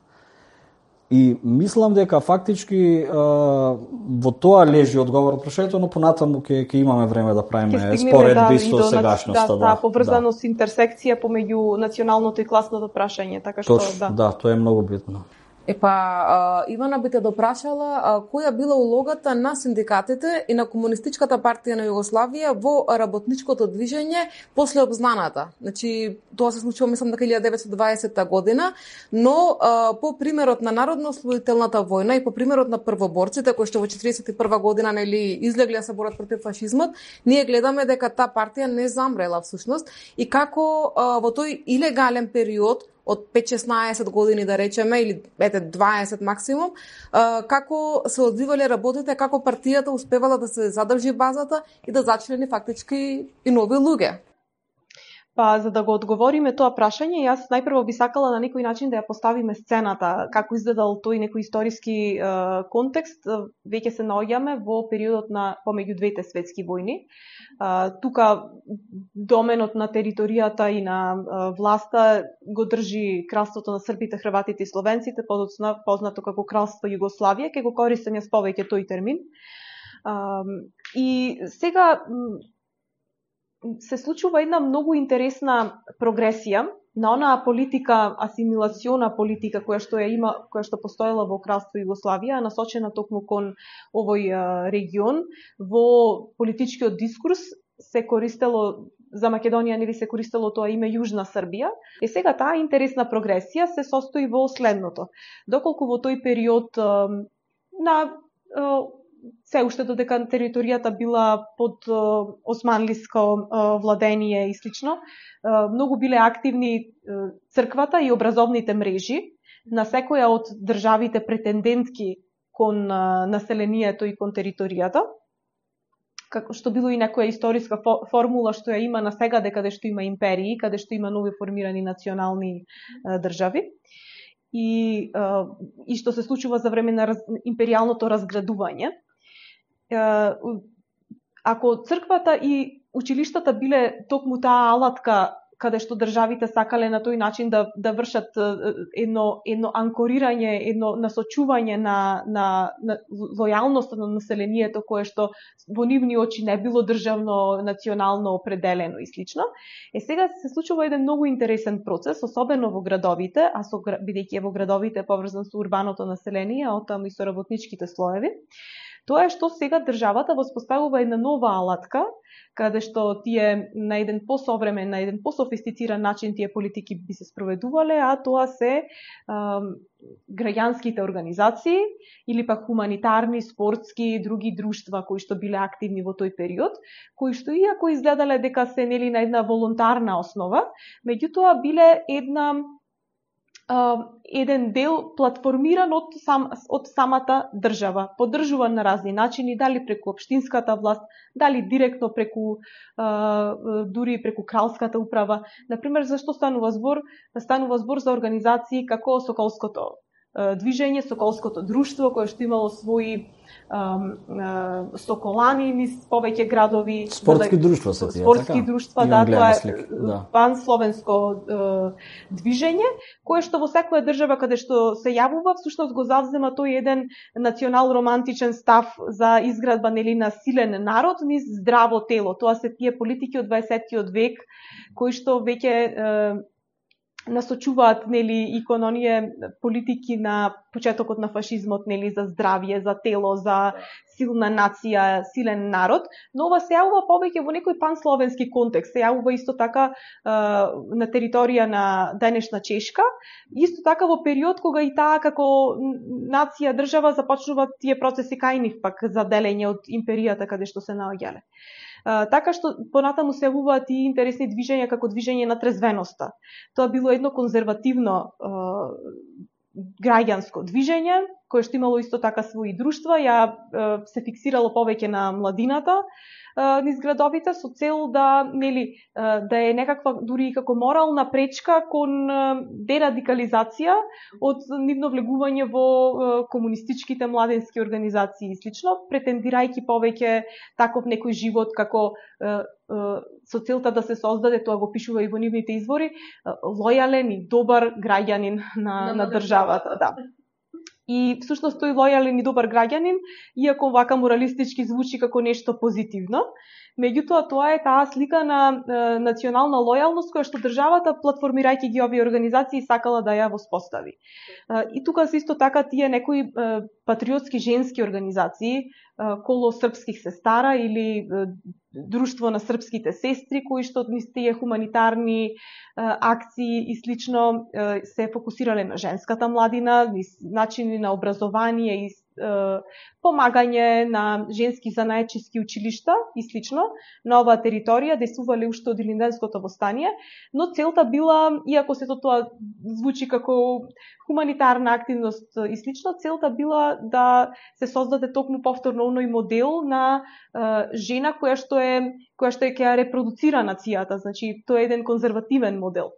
И мислам дека фактички во тоа лежи одговор од прашањето, но понатаму ќе имаме време да правиме споредби со сегашноста. Да, поврзаност, интерсекција помеѓу националното и класното прашање, така што да, тоа е многу битно. Ивана би те допрашала која била улогата на синдикатите и на Комунистичката партија на Југославија во работничкото движење после обзнаната. Значи, тоа се случува, мислам, дека 1920 година, но по примерот на Народно-ослободителната војна и по примерот на првоборците, кои што во 1941 година нели излегле да се борат против фашизмот, ние гледаме дека таа партија не замрела всушност и како во тој илегален период од 5-16 години, да речеме, или 20 максимум, како се одвивале работите, како партијата успевала да се задржи базата и да зачлени фактички и нови луѓе. Па, за да го одговориме тоа прашање, јас најпрво би сакала на некој начин да ја поставиме сцената, како изгледал тој некој историски контекст. Веќе се наоѓаме во периодот на помеѓу двете светски војни. Тука доменот на територијата и на власта го држи кралството на србите, хрватите и словенците, подоцна познато како кралство Југославија, ке го користам јас повеќе тој термин. И сега се случува една многу интересна прогресија на онаа политика, асимилациона политика која што постоела во кралство Југославија, насочена токму кон овој регион. Во политичкиот дискурс се користело за Македонија, нели се користело тоа име Јужна Србија. И сега таа интересна прогресија се состои во следното. Доколку во тој период на се уште додека територијата била под османлиско владение и слично, многу биле активни црквата и образовните мрежи на секоја од државите претендентки кон населението и кон територијата, како што било и некоја историска формула што ја има на сега, каде што има империи, каде што има нови формирани национални држави. И што се случува за време на империјалното разградување. Ако црквата и училиштата биле токму таа алатка каде што државите сакале на тој начин да вршат едно анкорирање, едно насочување на лојалноста на населението кое што во нивни очи не било државно, национално определено и слично. Сега се случува еден многу интересен процес, особено во градовите, бидејќи во градовите поврзан со урбаното население, а оттаму и со работничките слоеви. Тоа е што сега државата воспоставува една нова алатка, каде што тие на еден посовремен, на еден пософистициран начин тие политики би се спроведувале, а тоа се граѓанските организации или пак хуманитарни, спортски и други друштва кои што биле активни во тој период, кои што иако изгледале дека се нели на една волонтарна основа, меѓутоа биле еден дел платформиран од самата држава, поддржуван на разни начини, дали преку општинската власт, дали директно преку дури преку кралската управа. Например, зашто станува збор? Станува збор за организации како Соколското движење, Соколското друштво, кое што имало своји соколани низ повеќе градови. Спортски друштва се тие, спортски друштва, да, тоа е пансловенско движење, кое што во секоја држава каде што се јавува, всушност го завзема тој еден национал-романтичен став за изградба нели на силен народ низ здраво тело. Тоа се тие политики од 20-тиот век кои што веќе насочуваат нели и кон оние политики на почетокот на фашизмот, нели за здравје, за тело, за силна нација, силен народ, но ова се јавува повеќе во некој пансловенски контекст, се јавува исто така на територија на денешна Чешка, исто така во период кога и таа како нација, држава започнуваат тие процеси кај нив пак за делење од империјата каде што се наоѓале. Така што понатаму се јавуваат и интересни движења како движење на трезвеноста. Тоа било едно конзервативно граѓанско движење, кое што имало исто така своји друштва, се фиксирало повеќе на младината низ градовите со цел да е некаква дури и како морална пречка кон дерадикализација од нивно влегување во комунистичките младенски организации и слично, претендирајќи повеќе таков некој живот како со целта да се создаде, тоа го пишува и во нивните извори, лојален и добар граѓанин на државата, да. И всушност тој лојален и добар граѓанин, иако вака моралистички звучи како нешто позитивно, меѓутоа тоа е таа слика на национална лојалност која што државата, платформирајќи ги овие организации, сакала да ја воспостави. И тука се исто така тие некои патриотски женски организации, коло српских сестара или друштво на српските сестри, кои што низ тие хуманитарни акции и слично се фокусирале на женската младина, низ начини на образование и помагање на женски занаечиски училишта и слично на оваа територија, действувале уште од Илинденското востание, но целта била, иако сето тоа звучи како хуманитарна активност и слично, целта била да се создаде токму повторно оној модел на жена која што ќе ја репродуцира нацијата, значи тоа е еден конзервативен модел.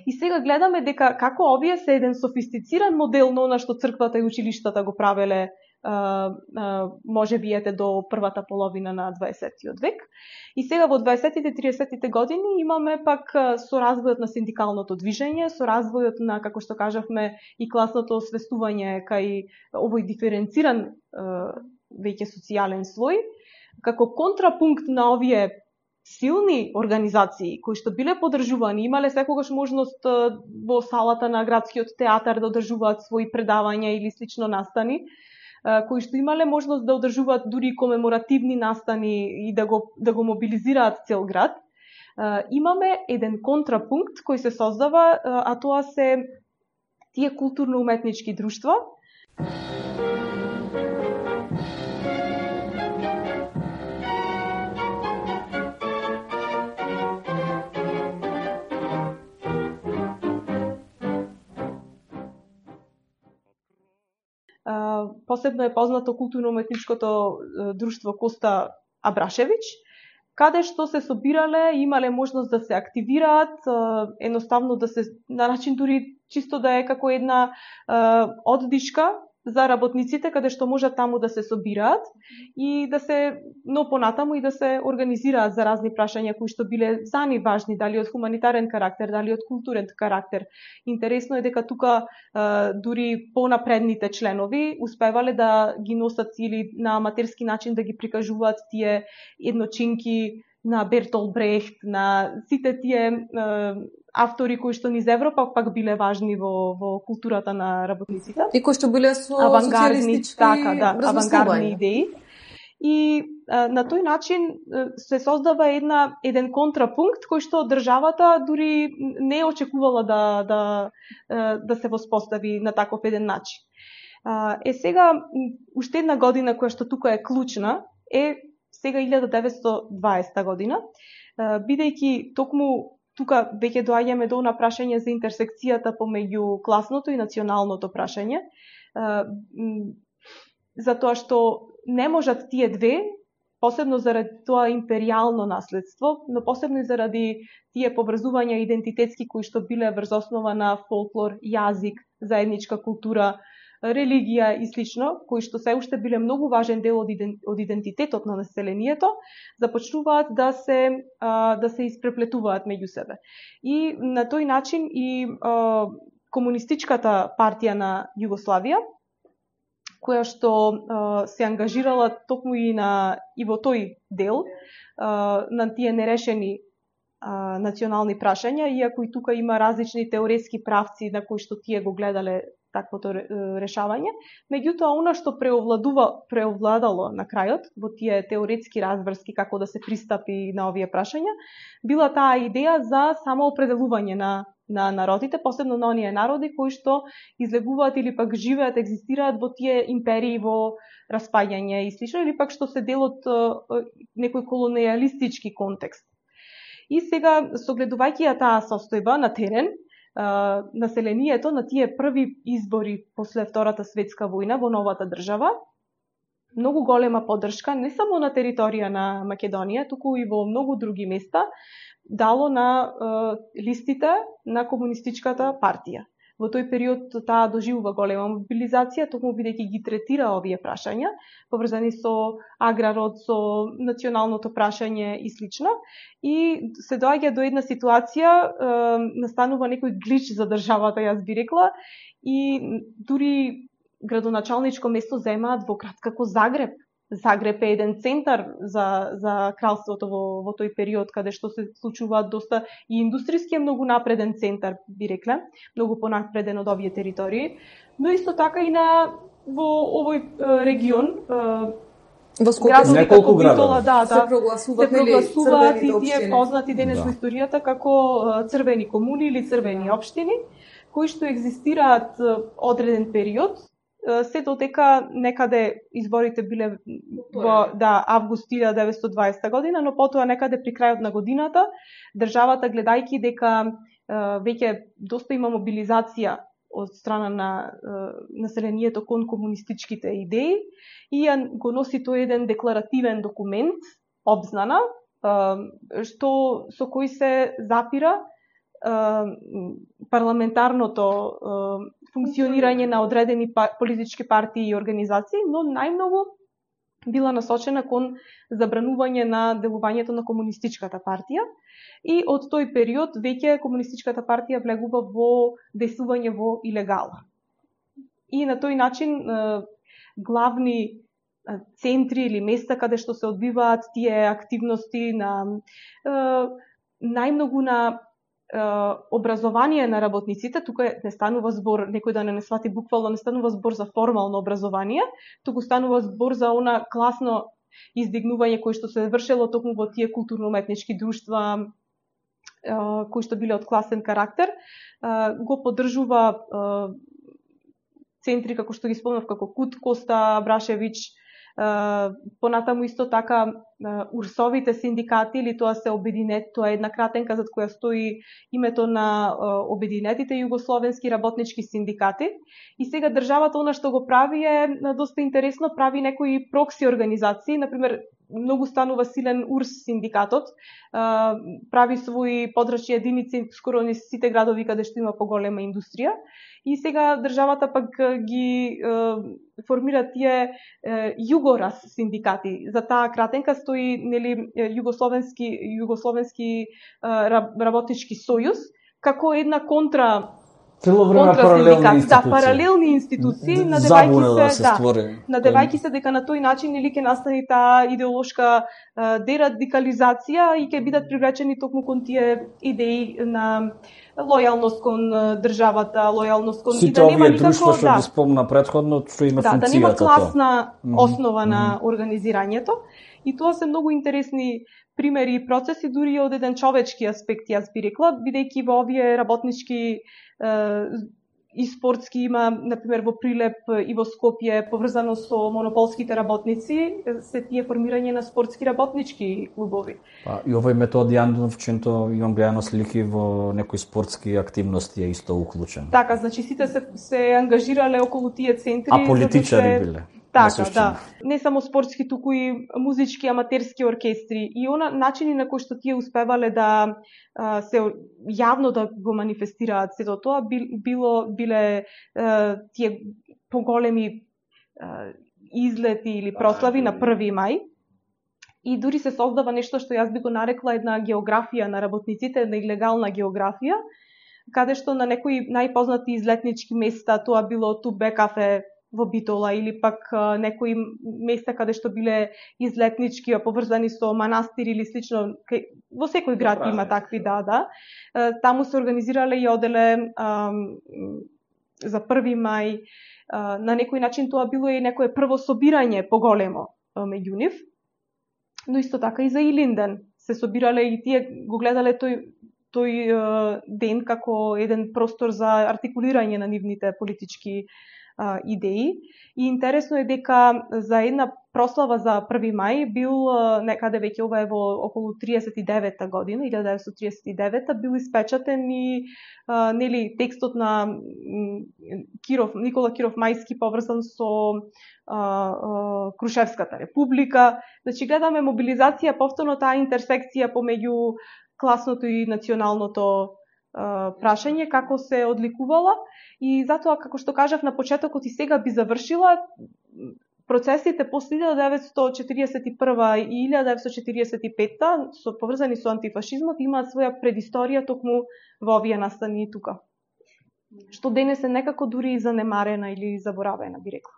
И сега гледаме дека како овие се еден софистициран модел на она што црквата и училиштата го правеле може би до првата половина на 20-тиот век. И сега во 20-тите, 30-тите години имаме пак со развојот на синдикалното движење, со развојот на, како што кажавме, и класното освестување кај овој диференциран веќе социјален слој, како контрапункт на овие силни организации кои што биле поддржувани, имале секогаш можност во салата на градскиот театар да одржуваат своји предавања или слично настани, кои што имале можност да одржуваат дури комеморативни настани и да го мобилизираат цел град. Имаме еден контрапункт кој се создава, а тоа се тие културно-уметнички друштва. Посебно е познато културно-уметничкото друштво Коста Абрашевич, каде што се собирале, имале можност да се активираат, едноставно да се, на начин дури чисто да е како една оддишка за работниците, каде што можат таму да се собираат и да се, но понатаму и да се организираат за разни прашања кои што биле за нив важни, дали од хуманитарен карактер, дали од културен карактер. Интересно е дека тука дури понапредните членови успевале да ги носат или на аматерски начин да ги прикажуваат тие едночинки на Бертолд Брехт, на сите тие автори кои што низ Европа пак биле важни во културата на работниците. И кои што биле со авангардни, социјалистички авангардни идеи. И на тој начин се создава еден контрапункт кој што државата дури не очекувала да се воспостави на таков еден начин. Сега, уште една година која што тука е клучна е сега 1920 година, бидејќи токму тука веќе доаѓаме до прашање за интерсекцијата помеѓу класното и националното прашање, затоа што не можат тие две, посебно заради тоа империјално наследство, но посебно и заради тие поврзувања идентитетски кои што биле врз основа на фолклор, јазик, заедничка култура, религија и слично, кои што се уште биле многу важен дел од идентитетот на населението, започнуваат да се испреплетуваат меѓу себе. И на тој начин и комунистичката партија на Југославија, која што се ангажирала токму и во тој дел на тие нерешени национални прашања, иако и тука има различни теоретски правци на кои што тие го гледале таквото решавање. Меѓутоа, она што преовладало на крајот во тие теоретски разврски како да се пристапи на овие прашања, била таа идеја за самоопределување на народите, посебно на оние народи кои што излегуваат или пак живеат, екзистираат во тие империи во распаѓање и слично, или пак што се дел од некој колониалистички контекст. И сега, согледувајќи ја таа состојба на терен, населението на тие први избори после Втората светска војна во новата држава, многу голема поддршка не само на територија на Македонија, туку и во многу други места, дало на листите на комунистичката партија. Во тој период таа доживува голема мобилизација, токму бидејќи ги третира овие прашања, поврзани со аграрот, со националното прашање и слично. И се доаѓа до една ситуација, настанува некој глич за државата, јас би рекла, и дури градоначалничко место земаат во град како Загреб. Загреб е еден центар за кралството во тој период, каде што се случуваат доста и индустријски е многу напреден центар, би рекле, многу понапреден од овие територии, но исто така и во овој регион, во Скопје неколку градови се прогласуваат и тие познати денес во историјата како црвени комуни или црвени општини, кои што екзистираат одреден период, се додека некаде изборите биле во август 1920 година, но потоа некаде при крајот на годината државата, гледајќи дека веќе доста има мобилизација од страна на населението кон комунистичките идеи, и го носи тој еден декларативен документ, обзнана, со кој се запира парламентарното функционирање на одредени политички партии и организации, но најмногу била насочена кон забранување на делувањето на комунистичката партија. И од тој период веќе комунистичката партија влегува во действување во илегала. И на тој начин главни центри или места каде што се одбиваат тие активности на најмногу на образование на работниците, тука не станува збор, некој да не свати буквално, не станува збор за формално образование, туку станува збор за она класно издигнување кој што се вршело токму во тие културно-уметнички друштва кои што биле од класен карактер, го поддржува центри како што ги спомнав, како Кут, Коста, Брашевич, понатаму исто така урсовите синдикати, или тоа се обединет, тоа е една кратенка зад која стои името на обединетите југословенски работнички синдикати. И сега државата она што го прави е доста интересно, прави некои прокси организации, например многу станува силен УРС синдикатот, прави своји подрачни единици скоро на сите градови каде што има поголема индустрија. И сега државата пак ги формира тие југорас синдикати. За таа кратенка стои нели југословенски работнички сојуз како една контра Цело време паралелни институции. Да, паралелни институции, надевајќи се дека на тој начин или ќе настани таа идеолошка дерадикализација и ќе бидат привлечени токму кон тие идеи на лојалност кон државата, лојалност кон и да нема никако што ги спомна претходно, што има функцијата. Да нема класна основа на организирањето. И тоа се многу интересни примери и процеси, дури од еден човечки аспект, јас би рекла, бидејќи во овие работнички и спортски има, например, во Прилеп и во Скопје, поврзано со монополските работници, се тие формирање на спортски работнички клубови. И овој Методи Андоновченто, имам гледано слики во некои спортски активности е исто уклучен. Така, значи сите се ангажирале околу тие центри. А политичари биле. Така, да. Не само спортски, туку и музички, аматерски оркестри. И начини на кои што тие успевале да се јавно да го манифестираат сето тоа, биле тие поголеми излети или прослави на 1 мај. И дури се создава нешто што јас би го нарекла една географија на работниците, една илегална географија, каде што на некои најпознати излетнички места, тоа било Тубе кафе во Битола или пак некои места каде што биле излетнички поврзани со манастир или слично, во секој град има такви, да. Таму се организирале и оделе за 1 мај. На некој начин тоа било и некое прво собирање поголемо меѓу нив. Но исто така и за Илинден се собирале и тие го гледале тој ден како еден простор за артикулирање на нивните политички идеи. И интересно е дека за една прослава за 1 мај бил некаде веќе ова е во околу 39-та година, 1939-та, бил испечатен и нели текстот на Никола Киров Мајски поврзан со Крушевската република. Значи гледаме мобилизација, повторно таа интерсекција помеѓу класното и националното прашање, како се одликувала. И затоа, како што кажав на почетокот и сега би завршила, процесите после 1941 и 1945 поврзани со антифашизмот имаат своја предисторија токму во овие настани тука. Што денес е некако дури и занемарена или заборавена, би рекла.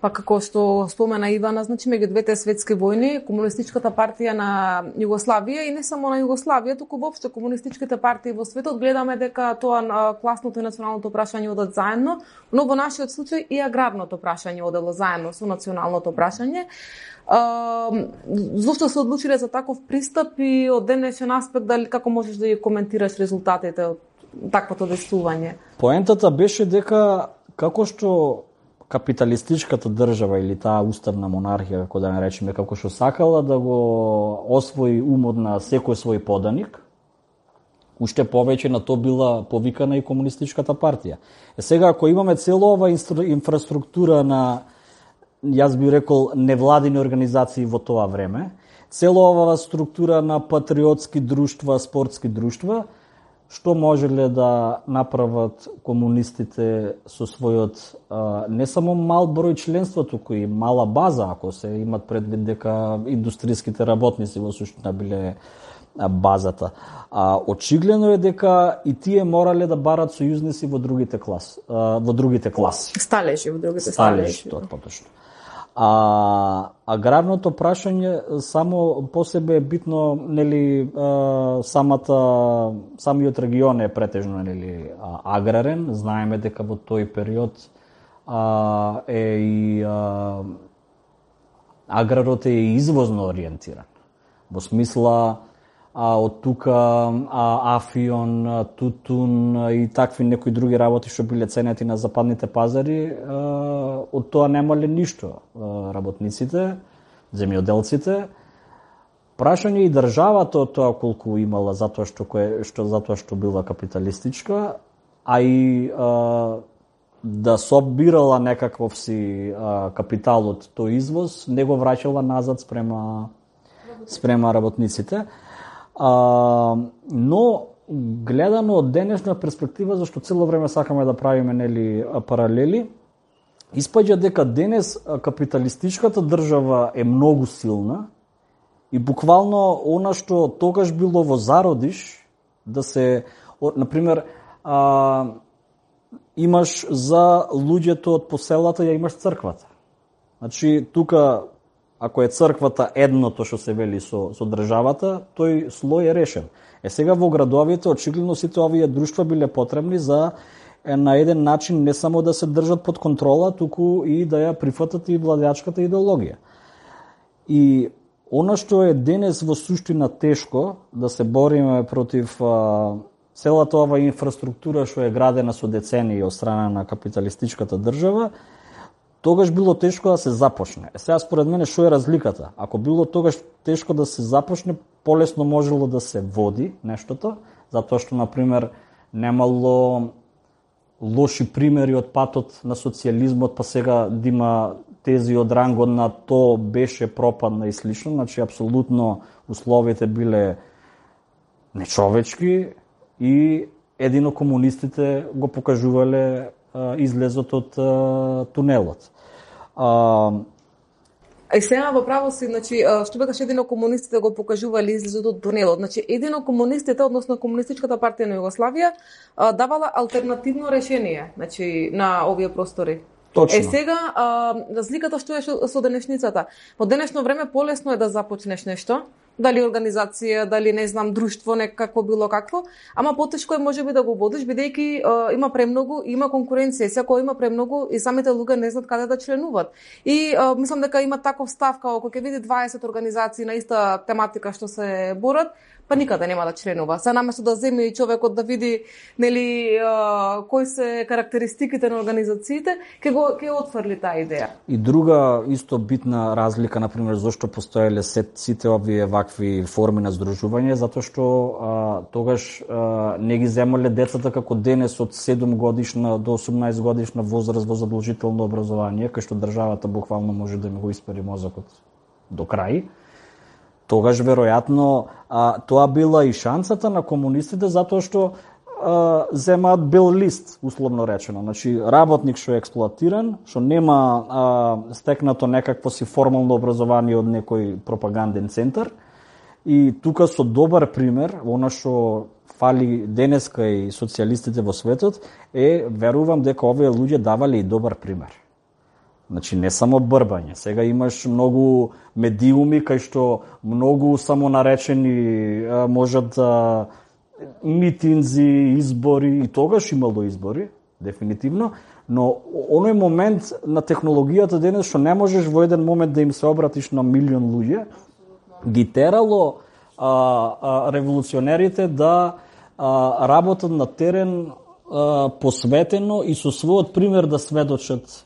Па како што спомена Ивана, значи меѓу двете светски војни, Комунистичката партија на Југославија и не само на Југославија, туку воопшто комунистичките партии во светот, гледаме дека тоа класното и националното прашање одат заедно, но во нашиот случај и аграрното прашање одело заедно со националното прашање. Зошто се одлучиле за таков пристап и од денешен аспект, дали како можеш да ја коментираш резултатите од таквото действување? Поентата беше дека како што капиталистичката држава или таа уставна монархија, како да не речеме, како што сакала да го освои умот на секој свој поданик, уште повеќе на тоа била повикана и Комунистичката партија. Сега, ако имаме цела ова инфраструктура на, јас би рекол, невладини организации во тоа време, цела ова структура на патриотски друштва, спортски друштва, што можеле да направат комунистите со својот не само мал број членство, туку и мала база, ако се имат предвид дека индустријските работници во суштина биле базата. Очигледно е дека и тие морале да барат сојузници во другите класи. Сталежи во другите сталежи. Тоа поточно. Аграрното прашање само по себе е битно, нели, самиот регион е претежно, нели, аграрен. Знаеме дека во тој период е и аграрот е извозно ориентиран. Во смисла од тука афион, тутун и такви некои други работи што биле ценети на западните пазари, од тоа немале ништо работниците, земјоделците. Прашање и државата од тоа колку имала затоа што била капиталистичка, а и да собирала некаков си капитал од тој извоз, не го враќала назад спрема работниците. Но гледано од денешна перспектива, зашто цело време сакаме да правиме паралели, испаѓа дека денес капиталистичката држава е многу силна и буквално она што тогаш било во зародиш, да се, например, имаш за луѓето од поселата, ја имаш црквата. Значи, тука, ако е црквата едното што се вели со државата, тој слој е решен. Сега во градовите, очигледно сите овие друштва биле потребни за на еден начин не само да се држат под контрола, туку и да ја прифатат и владеачката идеологија. И она што е денес во суштина тешко, да се бориме против целата ова инфраструктура што е градена со децении од страна на капиталистичката држава, тогаш било тешко да се започне. Сега според мене што е разликата? Ако било тогаш тешко да се започне, полесно можело да се води нештото, затоа што, например, немало лоши примери од патот на социјализмот, па сега да има тези од рангот на то беше пропадна и слично, значи апсолутно условите биле нечовечки и едино комунистите го покажувале излезот од тунелот. Сега во право си, значи, што бекаш едино комунистите го покажували излезот од тунелот. Значи, едино комунистите, односно Комунистичката партија на Југославија, давала алтернативно решение, значи, на овие простори. Точно. Сега, разликата што е со денешницата. Во денешно време полесно е да започнеш нешто, дали организација, дали не знам друштво, некако било какво, ама потешко е можеби да го водиш бидејќи има премногу, има конкуренција, секој има премногу и самите луѓе не знаат каде да членуваат. И мислам дека има таков став како кога ќе види 20 организации на иста тематика што се борат, па никаде нема да членува. Се наместо да земе и човекот да види нели кои се карактеристиките на организациите, ќе отфрли таа идеја. И друга исто битна разлика, например, зошто постоеле сите овие вакви форми на здружување, затоа што тогаш не ги земале децата како денес од 7 годишна до 18 годишна возраст во задолжително образование, кај што државата буквално може да им го испари мозокот до крај. Тогаш, веројатно, тоа била и шансата на комунистите, затоа што земаат бел лист, условно речено. Значи, работник што е експлоатиран, што нема стекнато некакво си формално образование од некој пропаганден центар. И тука со добар пример, она што фали денеска и социјалистите во светот, верувам дека овие луѓе давале и добар пример. Значи, не само брбање. Сега имаш многу медиуми кај што многу самонаречени можат митинзи, избори, и тогаш имало избори, дефинитивно, но оној момент на технологијата денес што не можеш во еден момент да им се обратиш на милион луѓе, ги терало револуционерите да работат на терен посветено и со својот пример да сведочат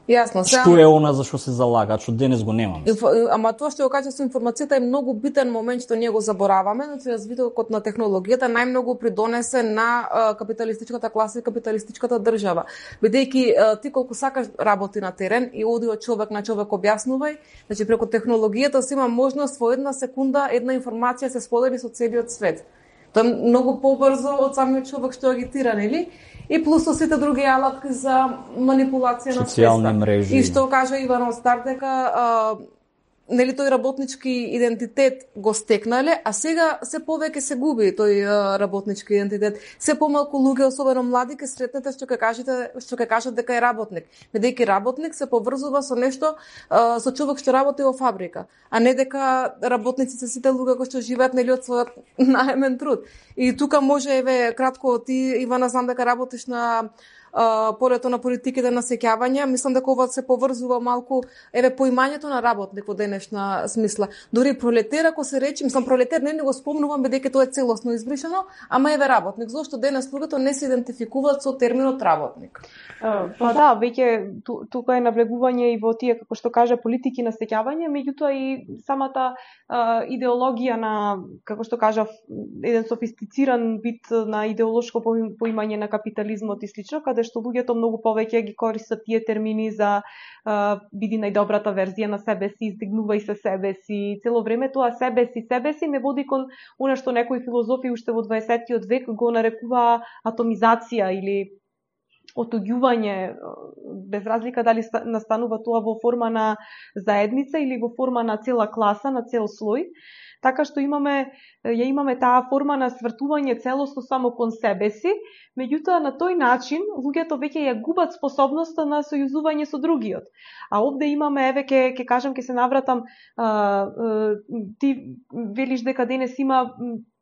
Јасно, што е она за што се залагаат, што денес го немаме. Ама тоа што го кажа со информацијата е многу битен момент што ние го забораваме, значи развитокот на технологијата најмногу придонесе на капиталистичката класа и капиталистичката држава. Бидејќи ти колку сакаш работи на терен и оди од човек на човек објаснувај, значи преку технологијата си има можност во една секунда една информација се сподели со целиот свет. Тоа е многу побрзо од самиот човек што агитира, нели? И плюс со сите други алатки за манипулација на социјални мрежи. И што кажа Иван Остар дека нели тој работнички идентитет го стекнале, а сега се повеќе се губи тој работнички идентитет. Се помалку луѓе, особено млади, ќе сретнете што ќе кажат дека е работник. Бидејќи работник се поврзува со нешто, со човек што работи во фабрика, а не дека работниците сите луѓе кои што живеат нели од својот наемен труд. И тука може кратко ти Ивана знам дека работиш на полето на политиките на сеќавање, мислам дека ова се поврзува малку поимањето на работник во денешна смисла. Дури пролетер, ако се речи, мислам пролетер не го спомнувам бидејќи тоа е целосно избришано, ама работник. Зошто денес луѓето не се идентификуваат со терминот работник? Па да, веќе тука е навлегување и во тие, како што кажа, политики на сеќавање, меѓутоа и самата идеологија на, како што кажа, еден софистициран вид на идеолошко поимање на капитализмот и слично, каде што луѓето многу повеќе ги користат тие термини за биди најдобрата верзија на себе си, издигнувај се себе си. Цело време тоа себе си не води кон она што некои филозофи уште во 20-тиот век го нарекува атомизација или отуѓување, без разлика дали настанува тоа во форма на заедница или во форма на цела класа, на цел слој. Така што имаме таа форма на свртување целосно само кон себе си, меѓутоа на тој начин луѓето веќе ја губат способноста на сојузување со другиот. А овде имаме, еве ќе се навратам, ти велиш дека денес има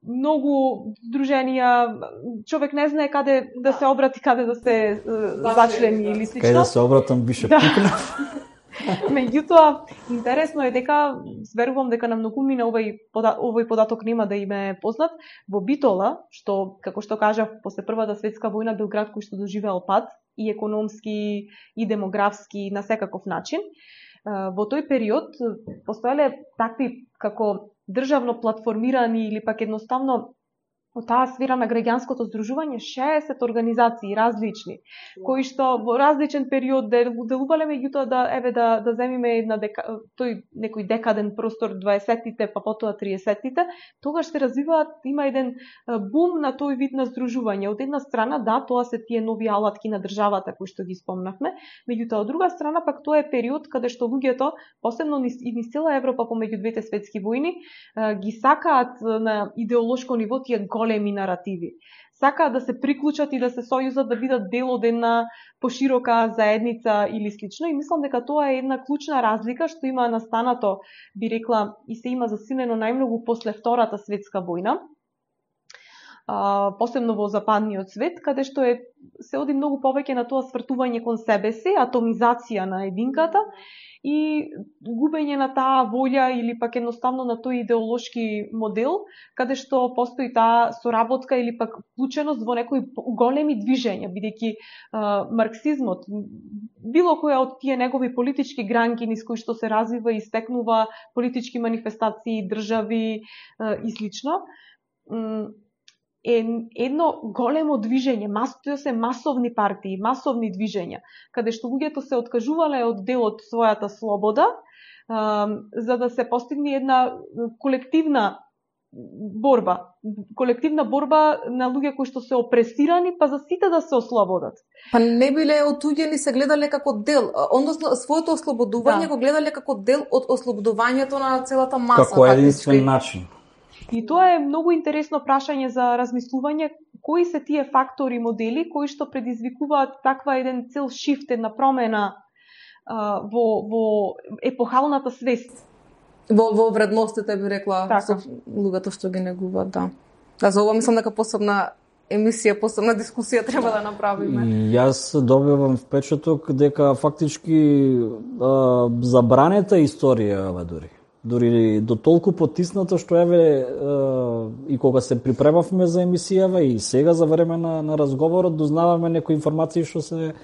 многу здруженија, човек не знае каде да се обрати, каде да се зачлени или слично. Каде да се обратам, бише пикнав. Меѓутоа, интересно е дека, верувам дека на многумина овој податок нема да им е познат, во Битола, што, како што кажав, после Првата светска војна бил град кој што доживеал пад, и економски, и демографски, на секаков начин. Во тој период постоеле такви како државно платформирани или пак едноставно од таа сфера на граѓанското здружување 60 организации различни, кои што во различен период делувале, меѓутоа да земиме тој некој декаден простор 20-тите, па потоа 30-тите, тогаш се развиваат, има еден бум на тој вид на здружување. Од една страна, да, тоа се тие нови алатки на државата кои што ги спомнавме, меѓутоа од друга страна пак тоа е период каде што луѓето, посебно низ цела Европа помеѓу двете светски војни, ги сакаат на идеолошко ниво тие големи наративи. Сакаат да се приклучат и да се сојузат, да бидат дел од една поширока заедница или слично. И мислам дека тоа е една клучна разлика што има настанато, би рекла, и се има засилено најмногу после Втората светска војна, посебно во западниот свет, каде што се оди многу повеќе на тоа свртување кон себе си, атомизација на единката и губење на таа волја или пак едноставно на тој идеолошки модел, каде што постои таа соработка или пак вклученост во некои големи движења, бидејќи марксизмот, било која од тие негови политички гранки низ кои што се развива и стекнува политички манифестации, држави и слично, е едно големо движење, тоа се масовни партии, масовни движења, каде што луѓето се откажувале од дел од својата слобода, за да се постигне една колективна борба на луѓе кои што се опресирани, па за сите да се ослободат. Па не биле отуѓени, се гледале како дел, односно своето ослободување го гледале како дел од ослободувањето на целата маса. Како единствен начин. И тоа е многу интересно прашање за размислување, кои се тие фактори, модели кои што предизвикуваат таква еден цел шифт, една промена во епохалната свест. Во вредностите, би рекла, така, луѓето што ги негуваат, да. Да, за ова мислам дека посебна емисија, посебна дискусија треба да направиме. Јас добивам впечаток дека фактички забранета историја ова дури до толку потисната што и кога се припремавме за емисијава и сега за време на разговорот дознаваме некои информации што се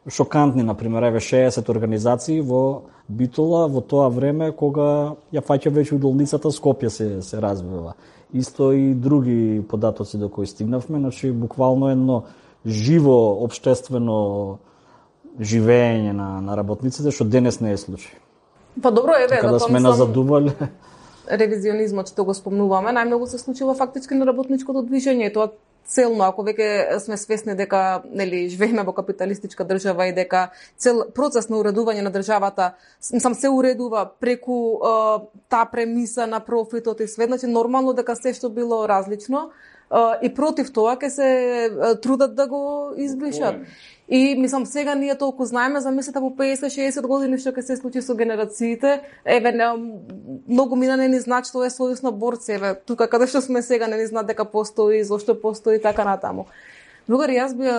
шокантни, например, 60 организации во Битола во тоа време кога ја фаќа веќе удолницата Скопје се развива. Исто и други податоци до кои стигнавме, значи буквално едно живо општествено живење на работниците што денес не е случај. Па добро, така да сме назадувале. Ревизионизмот што го спомнуваме, најмногу се случува фактички на работничкото движење и тоа целно, ако веќе сме свесни дека живееме во капиталистичка држава и дека цел процес на уредување на државата се уредува преку таа премиса на профитот и све, значи нормално дека се што било различно и против тоа ќе се трудат да го избришат. И мислам сега ние толку знаеме, замислете по 50-60 години што ќе се случи со генерациите, многу мина не ни знаат што е сојуз на борци, тука каде што сме сега не ни знаат дека постои, зошто постои така натаму. Другари, јас би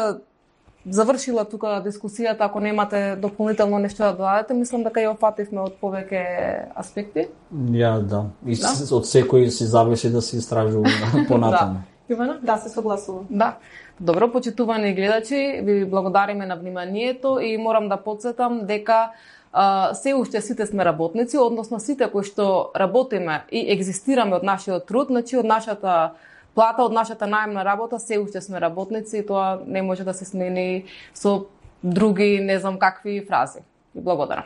завршила тука дискусијата, ако немате дополнително нешто да додадете, мислам дека ја опфативме од повеќе аспекти. Да. И од секој си зависи да се истражува понатаму. Ивана? Да, се согласувам. Да. Добро, почитувани гледачи, ви благодариме на вниманието и морам да потсетам дека се уште сите сме работници, односно сите кои што работиме и екзистираме од нашиот труд, значи од нашата плата од нашата наемна работа, се уште сме работници и тоа не може да се смени со други, не знам какви фрази. Благодарам.